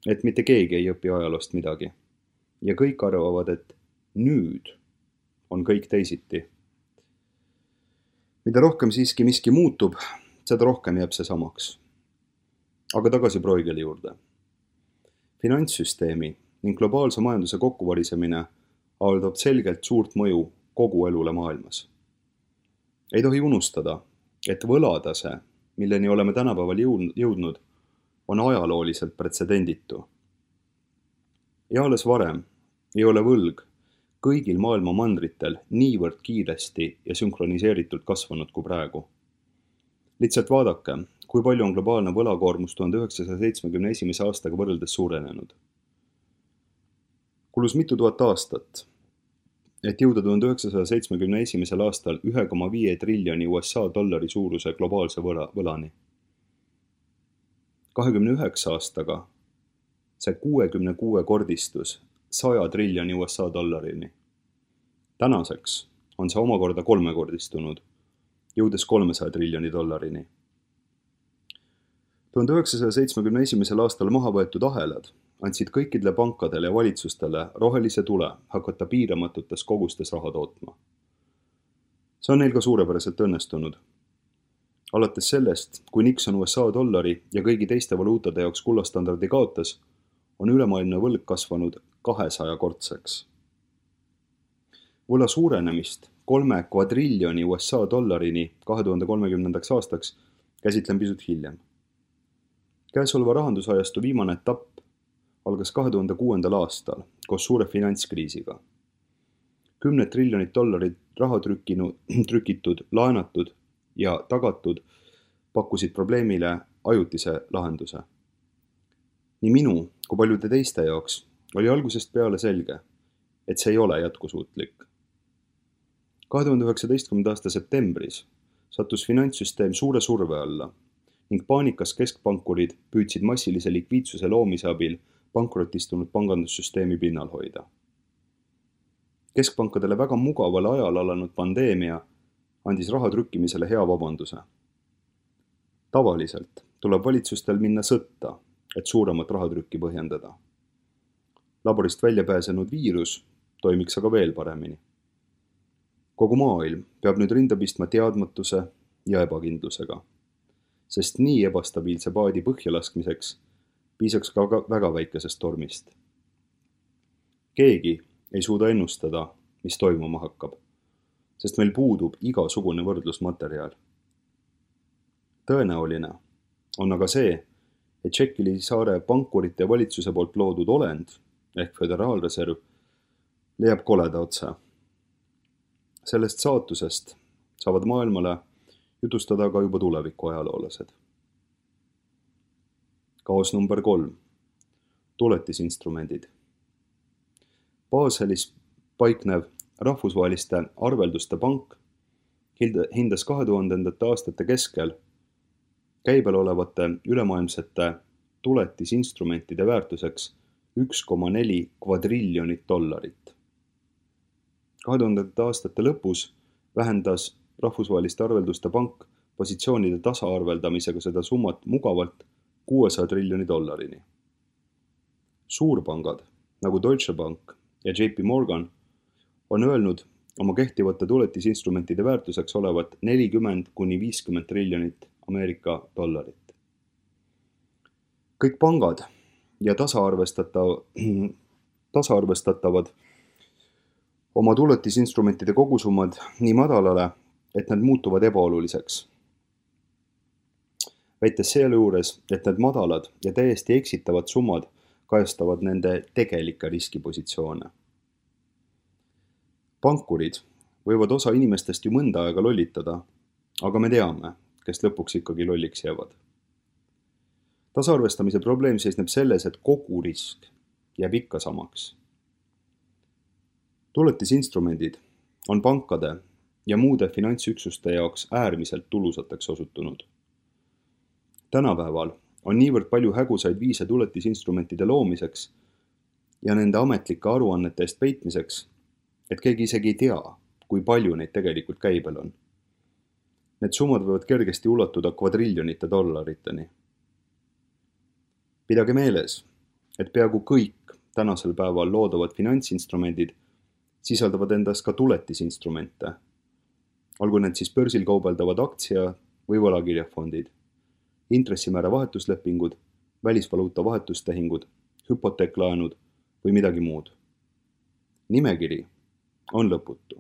et mitte keegi ei õpi ajaloost midagi ja kõik arvavad, et nüüd on kõik teisiti. Mida rohkem siiski miski muutub, seda rohkem jääb see samaks. Aga tagasi Bruegeli juurde. Finantssüsteemi ning globaalse majanduse kokkuvarisemine avaldab selgelt suurt mõju kogu elule maailmas. Ei tohi unustada, et võlatase, milleni oleme tänapäeval jõudnud, on ajalooliselt pretsedenditu. Ja alles varem ei ole võlg kõigil maailma mandritel niivõrd kiiresti ja sünkroniseeritult kasvanud kui praegu. Lihtsalt vaadake, kui palju on globaalne võlakoormus tuhande üheksasaja seitsmekümne esimese aastaga võrreldes suurenenud. Kulus mitu tuhat aastat, et jõuda tuhande üheksasaja seitsmekümne esimesel aastal ühe koma viie triljoni U S A dollari suuruse globaalse võla, võlani. kahekümne üheksa aastaga see kuuekümne kuue kordistus saja triljoni U S A dollarini. Tänaseks on see omakorda kolmekordistunud, jõudes kolmesaja triljoni dollarini. tuhande üheksasaja seitsmekümne esimesel aastal maha võetud ahelad andsid kõikidele pankadele ja valitsustele rohelise tule hakata piiramatutes kogustes raha tootma. See on neil ka suurepäraselt õnnestunud. Alates sellest, kui Nixon U S A dollari ja kõigi teiste valuutade jaoks kullastandardi kaotas, on ülemaailmne võlg kasvanud kahesaja kordseks. Võla suurenemist kolme kvadriljoni U S A dollarini kahe tuhande kolmekümnendaks aastaks käsitlen pisut hiljem. Käesoleva rahandusajastu viimane etapp algas kahe tuhande kuuendal aastal koos suure finantskriisiga. Kümned triljonid dollarid raha trükkinu, trükitud, laenatud ja tagatud pakkusid probleemile ajutise lahenduse. Nii minu kui paljude teiste jaoks oli algusest peale selge, et see ei ole jätkusuutlik. kahe tuhande üheksateistkümnenda aasta septembris sattus finantssüsteem suure surve alla ning paanikas keskpankurid püüdsid massilise likviidsuse loomise abil pankrotistunud pangandussüsteemi pinnal hoida. Keskpankadele väga mugaval ajal alanud pandeemia andis raha trükkimisele hea vabanduse. Tavaliselt tuleb valitsustel minna sõtta, et suuremat rahatrükki põhjendada. Laborist välja pääsenud viirus toimiks aga veel paremini. Kogu maailm peab nüüd rinda pistma teadmatuse ja ebakindlusega, sest nii ebastabiilse paadi põhjalaskmiseks piisaks ka väga väikesest tormist. Keegi ei suuda ennustada, mis toimuma hakkab, sest meil puudub igasugune võrdlusmaterjal. Tõenäoline on aga see, et Tšekili saare pankurite ja valitsuse poolt loodud olend ehk föderaalreserv leiab koleda otse. Sellest saatusest saavad maailmale jutustada ka juba tuleviku ajaloolased. Kaos number kolm. Tuletisinstrumendid. Baselis paiknev rahvusvaheliste arvelduste pank hindas kahe tuhandendate aastate keskel käibel olevate ülemaailmsete tuletisinstrumentide väärtuseks üks koma neli kvadriljonit dollarit. kahe tuhandendate aastate lõpus vähendas rahvusvaheliste arvelduste pank positsioonide tasaarveldamisega seda summat mugavalt kuuesaja triljoni dollarini. Suurpangad nagu Deutsche Bank ja J P Morgan on öelnud oma kehtivate tuletisinstrumentide väärtuseks olevat nelikümmend kuni viiskümmend triljonit Ameerika dollarit. Kõik pangad ja tasaarvestatav, tasaarvestatavad oma tuletisinstrumentide kogusummad nii madalale, et need muutuvad ebaoluliseks. Väites selle juures, et need madalad ja täiesti eksitavad summad kajastavad nende tegelikke riskipositsioone. Pankurid võivad osa inimestest ju mõnda aega lollitada, aga me teame, kes lõpuks ikkagi lolliks jäävad. Tasaarvestamise probleem seisneb selles, et kogu risk jääb ikka samaks. Tuletisinstrumendid on pankade ja muude finantsüksuste jaoks äärmiselt tulusateks osutunud. Tänapäeval on niivõrd palju hägusaid viise tuletisinstrumentide loomiseks ja nende ametlike aruannete eest peitmiseks, et keegi isegi ei tea, kui palju neid tegelikult käibel on. Need summad võivad kergesti ulatuda kvadriljonite dollariteni. Pidage meeles, et peaaegu kõik tänasel päeval loodavad finantsinstrumendid sisaldavad endas ka tuletisinstrumente, olgu need siis börsil kaubeldavad aktsia- või võlakirjafondid, intressimäära vahetuslepingud, välisvaluuta vahetustehingud, hüpoteeklaenud või midagi muud. Nimekiri on lõputu.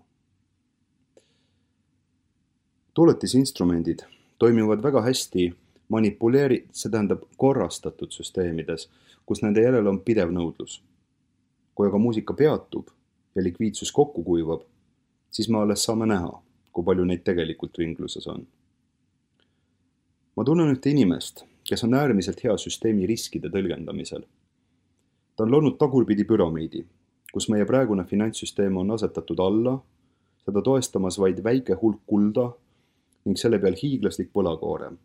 Tuletisinstrumendid toimivad väga hästi manipuleeri-, see tähendab korrastatud süsteemides, kus nende järel on pidev nõudlus. Kui aga muusika peatub ja likviidsus kokku kuivab, siis me alles saame näha, kui palju neid tegelikult ringluses on. Ma tunnen ühte inimest, kes on äärmiselt hea süsteemi riskide tõlgendamisel. Ta on loonud tagurpidi püramiidi, kus meie praegune finantssüsteem on asetatud alla, seda toestamas vaid väike hulk kulda ning selle peal hiiglaslik võlakoorem.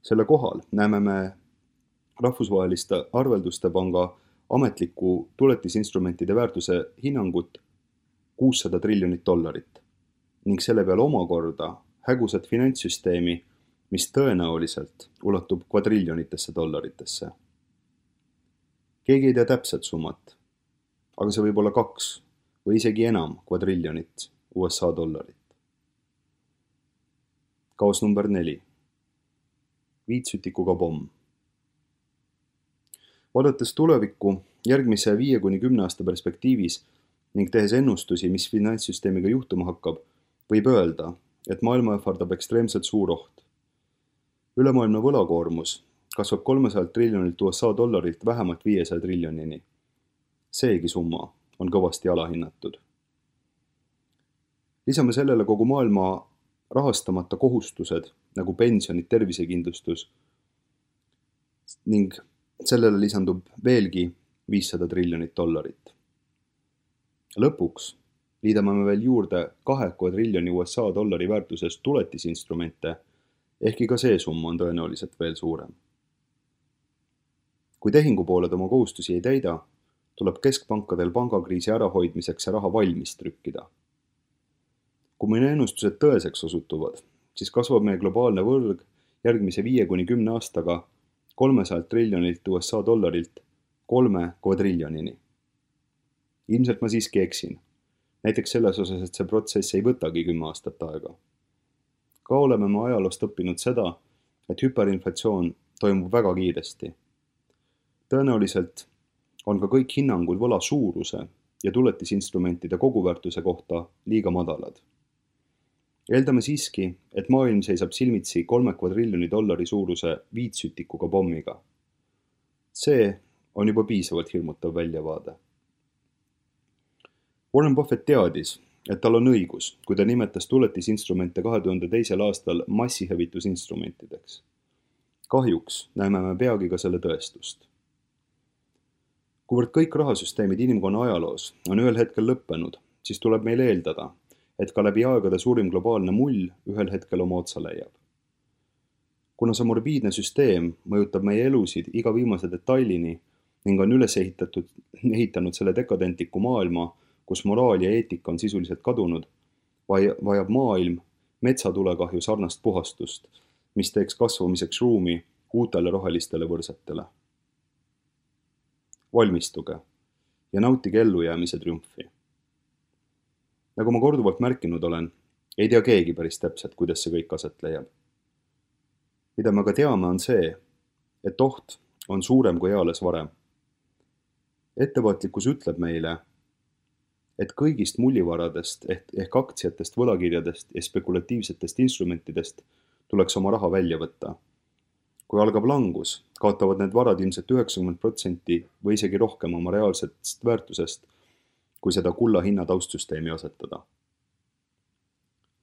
Selle kohal näeme me rahvusvaheliste arvelduste panga ametliku tuletisinstrumentide väärtuse hinnangut kuussada triljonit dollarit ning selle peal omakorda hägusat finantssüsteemi, mis tõenäoliselt ulatub kvadriljonitesse dollaritesse. Keegi ei tea täpset summat, aga see võib olla kaks või isegi enam kvadriljonit U S A dollarit. Kaos number neli. Viitsütikuga pomm. Vaadates tulevikku järgmise viie kuni kümne aasta perspektiivis ning tehes ennustusi, mis finantssüsteemiga juhtuma hakkab, võib öelda, et maailma ähvardab ekstreemselt suur oht. Ülemaailmne võlakoormus kasvab kolmesajalt triljonilt U S A dollarilt vähemalt viiesaja triljonini. Seegi summa on kõvasti alahinnatud. Lisame sellele kogu maailma rahastamata kohustused nagu pensionid, tervisekindlustus ning sellele lisandub veelgi viissada triljonit dollarit. Lõpuks liidame me veel juurde kahe kvadriljoni U S A dollari väärtuses tuletisinstrumente, ehkki ka see summa on tõenäoliselt veel suurem. Kui tehingupooled oma kohustusi ei täida, tuleb keskpankadel pangakriisi ärahoidmiseks see raha valmis trükkida. Kui meie ennustused tõeseks osutuvad, siis kasvab meie globaalne võrg järgmise viie kuni kümne aastaga kolmesajalt triljonilt U S A dollarilt kolme kvadriljonini. Ilmselt ma siiski eksin. Näiteks selles osas, et see protsess ei võtagi kümme aastat aega. Ka oleme me ajaloost õppinud seda, et hüperinflatsioon toimub väga kiiresti. Tõenäoliselt on ka kõik hinnangud võla suuruse ja tuletisinstrumentide koguväärtuse kohta liiga madalad. Eeldame siiski, et maailm seisab silmitsi kolme kvadriljoni dollari suuruse viitsütikuga pommiga. See on juba piisavalt hirmutav väljavaade. Warren Buffett teadis, et tal on õigus, kui ta nimetas tuletisinstrumente kahe tuhande teisel aastal massihävitusinstrumentideks. Kahjuks näeme me peagi ka selle tõestust. Kuivõrd kõik rahasüsteemid inimkonna ajaloos on ühel hetkel lõppenud, siis tuleb meil eeldada, et ka läbi aegade suurim globaalne mull ühel hetkel oma otsa leiab. Kuna see morbiidne süsteem mõjutab meie elusid iga viimase detailini ning on üles ehitatud, ehitanud selle dekadentliku maailma, kus moraal ja eetika on sisuliselt kadunud, vajab maailm metsatulekahju sarnast puhastust, mis teeks kasvamiseks ruumi uutele rohelistele võrsetele. Valmistuge ja nautige ellujäämise triumfi. Nagu ma korduvalt märkinud olen, ei tea keegi päris täpselt, kuidas see kõik aset leiab. Mida me ka teame on see, et oht on suurem kui eales varem. Ettevaatlikkus ütleb meile, et kõigist mullivaradest ehk aktsiatest, võlakirjadest ja spekulatiivsetest instrumentidest tuleks oma raha välja võtta. Kui algab langus, kaotavad need varad ilmselt üheksakümmend protsenti või isegi rohkem oma reaalsest väärtusest, kui seda kulla hinna taustsüsteemi asetada.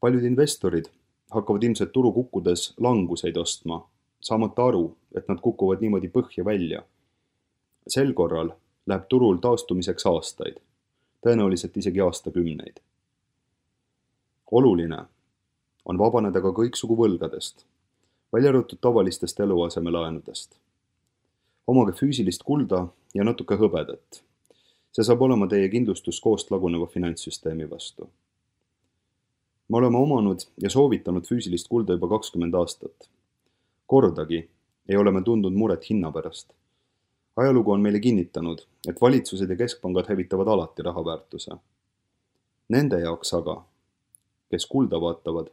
Paljud investorid hakkavad ilmselt turu kukkudes languseid ostma, saamata aru, et nad kukuvad niimoodi põhja välja. Sel korral läheb turul taastumiseks aastaid, tõenäoliselt isegi aastakümneid. Oluline on vabaneda ka kõiksugu võlgadest, välja arvatud tavalistest eluasemelaenudest. Omage füüsilist kulda ja natuke hõbedat. See saab olema teie kindlustus koost laguneva finantssüsteemi vastu. Me oleme omanud ja soovitanud füüsilist kulda juba kakskümmend aastat. Kordagi ei ole me tundnud muret hinna pärast. Ajalugu on meile kinnitanud, et valitsused ja keskpangad hävitavad alati rahaväärtuse. Nende jaoks aga, kes kulda vaatavad,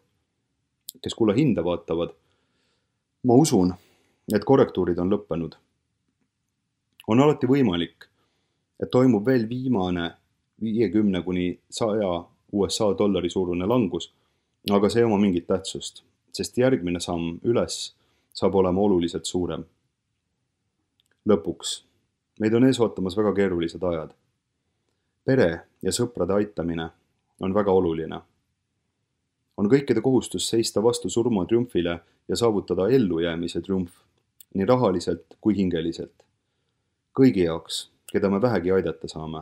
kes kulla hinda vaatavad, ma usun, et korrektuurid on lõppenud. On alati võimalik, et toimub veel viimane viiekümne kuni saja U S A dollari suurune langus, aga see ei oma mingit tähtsust, sest järgmine samm üles saab olema oluliselt suurem. Lõpuks, meid on ees ootamas väga keerulised ajad. Pere ja sõprade aitamine on väga oluline. On kõikide kohustus seista vastu surma triumfile ja saavutada ellujäämise triumf, nii rahaliselt kui hingeliselt. Kõigi jaoks, keda me vähegi aidata saame.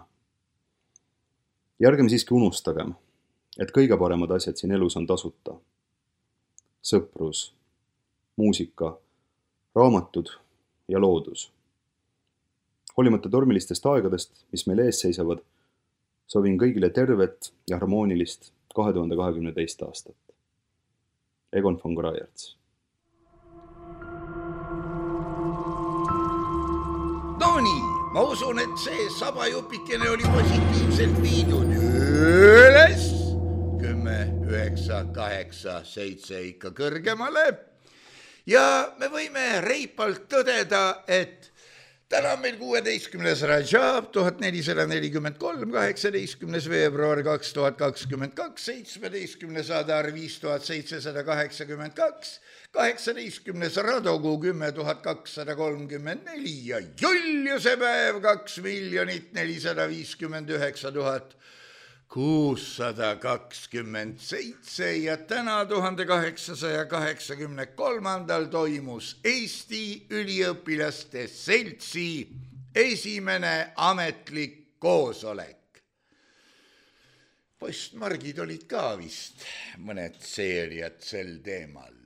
Ja ärgem siiski unustagem, et kõige paremad asjad siin elus on tasuta. Sõprus, muusika, raamatud ja loodus. Hoolimata tormilistest aegadest, mis meil ees seisavad, soovin kõigile tervet ja harmoonilist kahe tuhande kahekümne teist aastat. Egon von Greyerz. No nii, ma usun, et see sabajupikene oli positiivselt viidud üles. Kümme, üheksa, kaheksa, seitse ikka kõrgemale. Ja me võime reipalt tõdeda, et täna on meil kuueteistkümnes Rajab, tuhat nelisada nelikümmend kolm, kaheksateistkümnes veebruar kaks tuhat kakskümmend kaks, seitsmeteistkümnes Adar viis tuhat seitsesada kaheksakümmend kaks, kaheksateistkümnes Radogu kümme tuhat kakssada kolmkümmend neli ja Juliuse päev kaks miljonit nelisada viiskümmend üheksa tuhat kuussada kakskümmend seitse ja täna tuhande kaheksasaja kaheksakümne kolmandal toimus Eesti üliõpilaste seltsi esimene ametlik koosolek. Postmargid olid ka vist mõned seeriad sel teemal.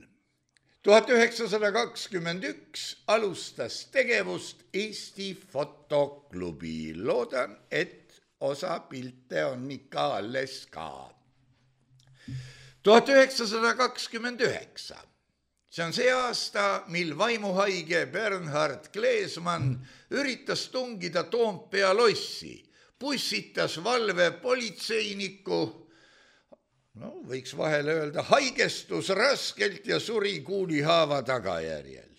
tuhat üheksasada kakskümmend üks alustas tegevust Eesti fotoklubi. Loodan, et osa pilte on ikka alles ka. tuhat üheksasada kakskümmend üheksa. See on see aasta, mil vaimuhaige Bernhard Kleesmann üritas tungida Toompea lossi pussitas valve politseiniku, no võiks vahele öelda, haigestus raskelt ja suri kuulihaava tagajärjel.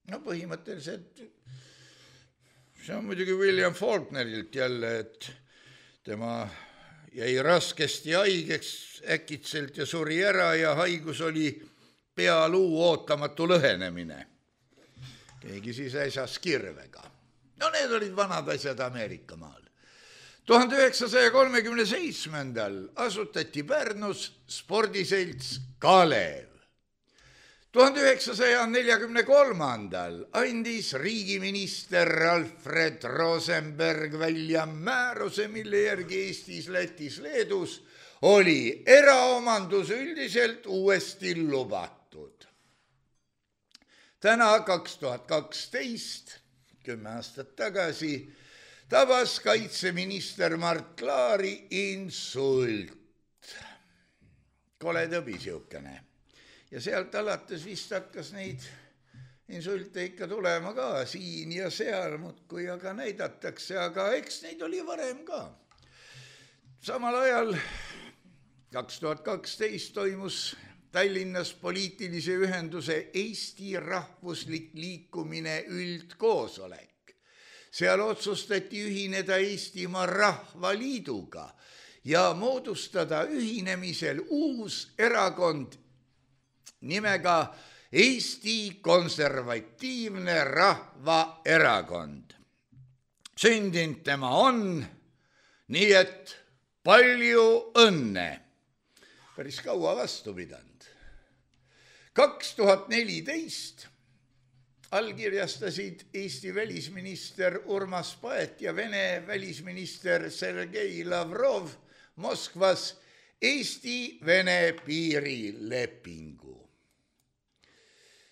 No põhimõtteliselt, see on muidugi William Faulknerilt jälle, et tema jäi raskesti haigeks äkitselt ja suri ära ja haigus oli pealuu ootamatu lõhenemine. Keegi siis äsas kirvega. No need olid vanad asjad Ameerika maal. tuhande üheksasaja kolmekümne seitsmendal asutati Pärnus spordiselts Kalev. tuhande üheksasaja neljakümne kolmandal andis riigiminister Alfred Rosenberg välja määruse, mille järgi Eestis, Lätis, Leedus oli eraomandus üldiselt uuesti lubatud. Täna kaks tuhat kaksteist, kümme aastat tagasi, tabas kaitseminister Mart Laari insult. Kole tõbi siukene. Ja sealt alates vist hakkas neid insulte ikka tulema ka siin ja seal, muudkui aga näidatakse, aga eks neid oli varem ka. Samal ajal kaks tuhat kaksteist toimus Tallinnas poliitilise ühenduse Eesti rahvuslik liikumine üldkoosolek. Seal otsustati ühineda Eestimaa Rahvaliiduga ja moodustada ühinemisel uus erakond nimega Eesti Konservatiivne Rahvaerakond. Sündinud tema on, nii et palju õnne. Päris kaua vastu pidanud. kaks tuhat neliteist allkirjastasid Eesti välisminister Urmas Paet ja Vene välisminister Sergei Lavrov Moskvas Eesti-Vene piirilepingu.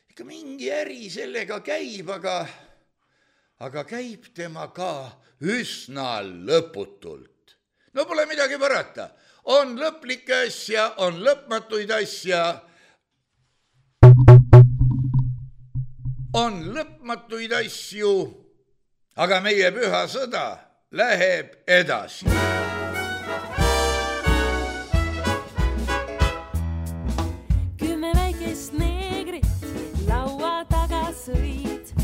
Ikka mingi äri sellega käib, aga, aga käib tema ka üsna lõputult. No pole midagi parata. On lõplikke asja, on lõpmatuid asja, on lõpmatuid asju, aga meie püha sõda läheb edasi. Kümme väikest neegrit laua taga sõid.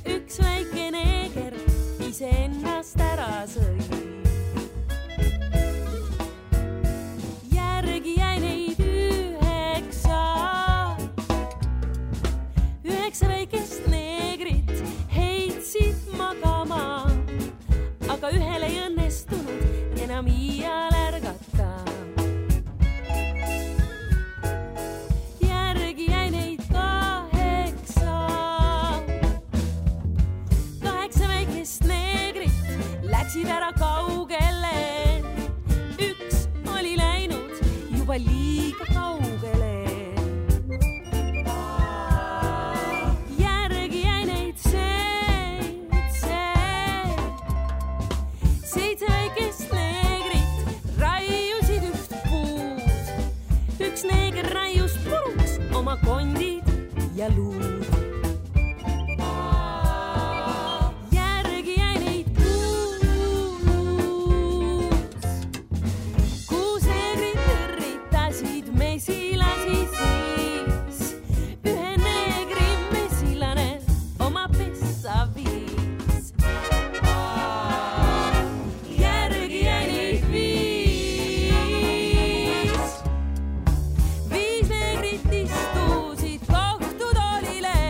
Üks väike neeger ise ennast ära sõid. Järgi jäi neid üheksa. Üheksa väikest neegrit heitsid magama, aga ühele ei õnnestunud enam iial ärgata. Järgi jäi neid kaheksa. Kaheksa väikest neegrit läksid ära kaugele. Üks oli läinud juba liiga kaugele. Järgi jäi neid seitse. Seitse väikest neegrit raiusid üht puud. Üks neeger raius puruks oma kondid ja luud. Järgi jäi neid kuus. Kuus neegrit üritasid mesilasi siis. Ühe neegri mesilane oma pessa viis. Järgi jäi neid viis. Viis neegrit istusid kohtutoolile.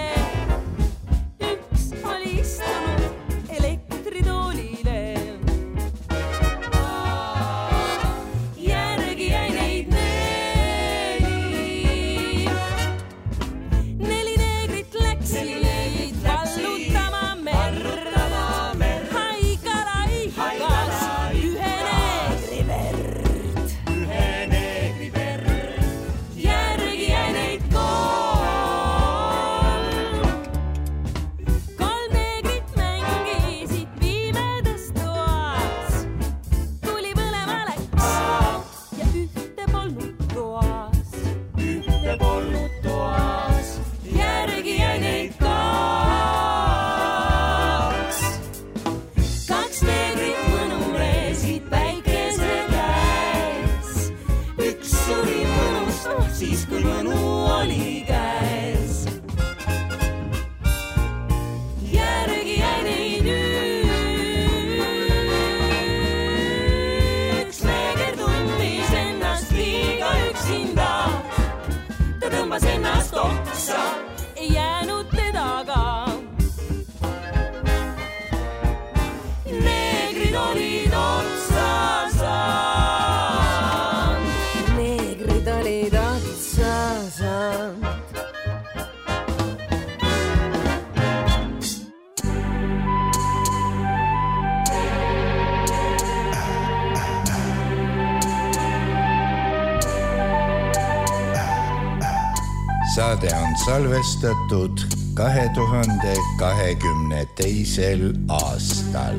saade on salvestatud kahe tuhande kahekümne teisel aastal.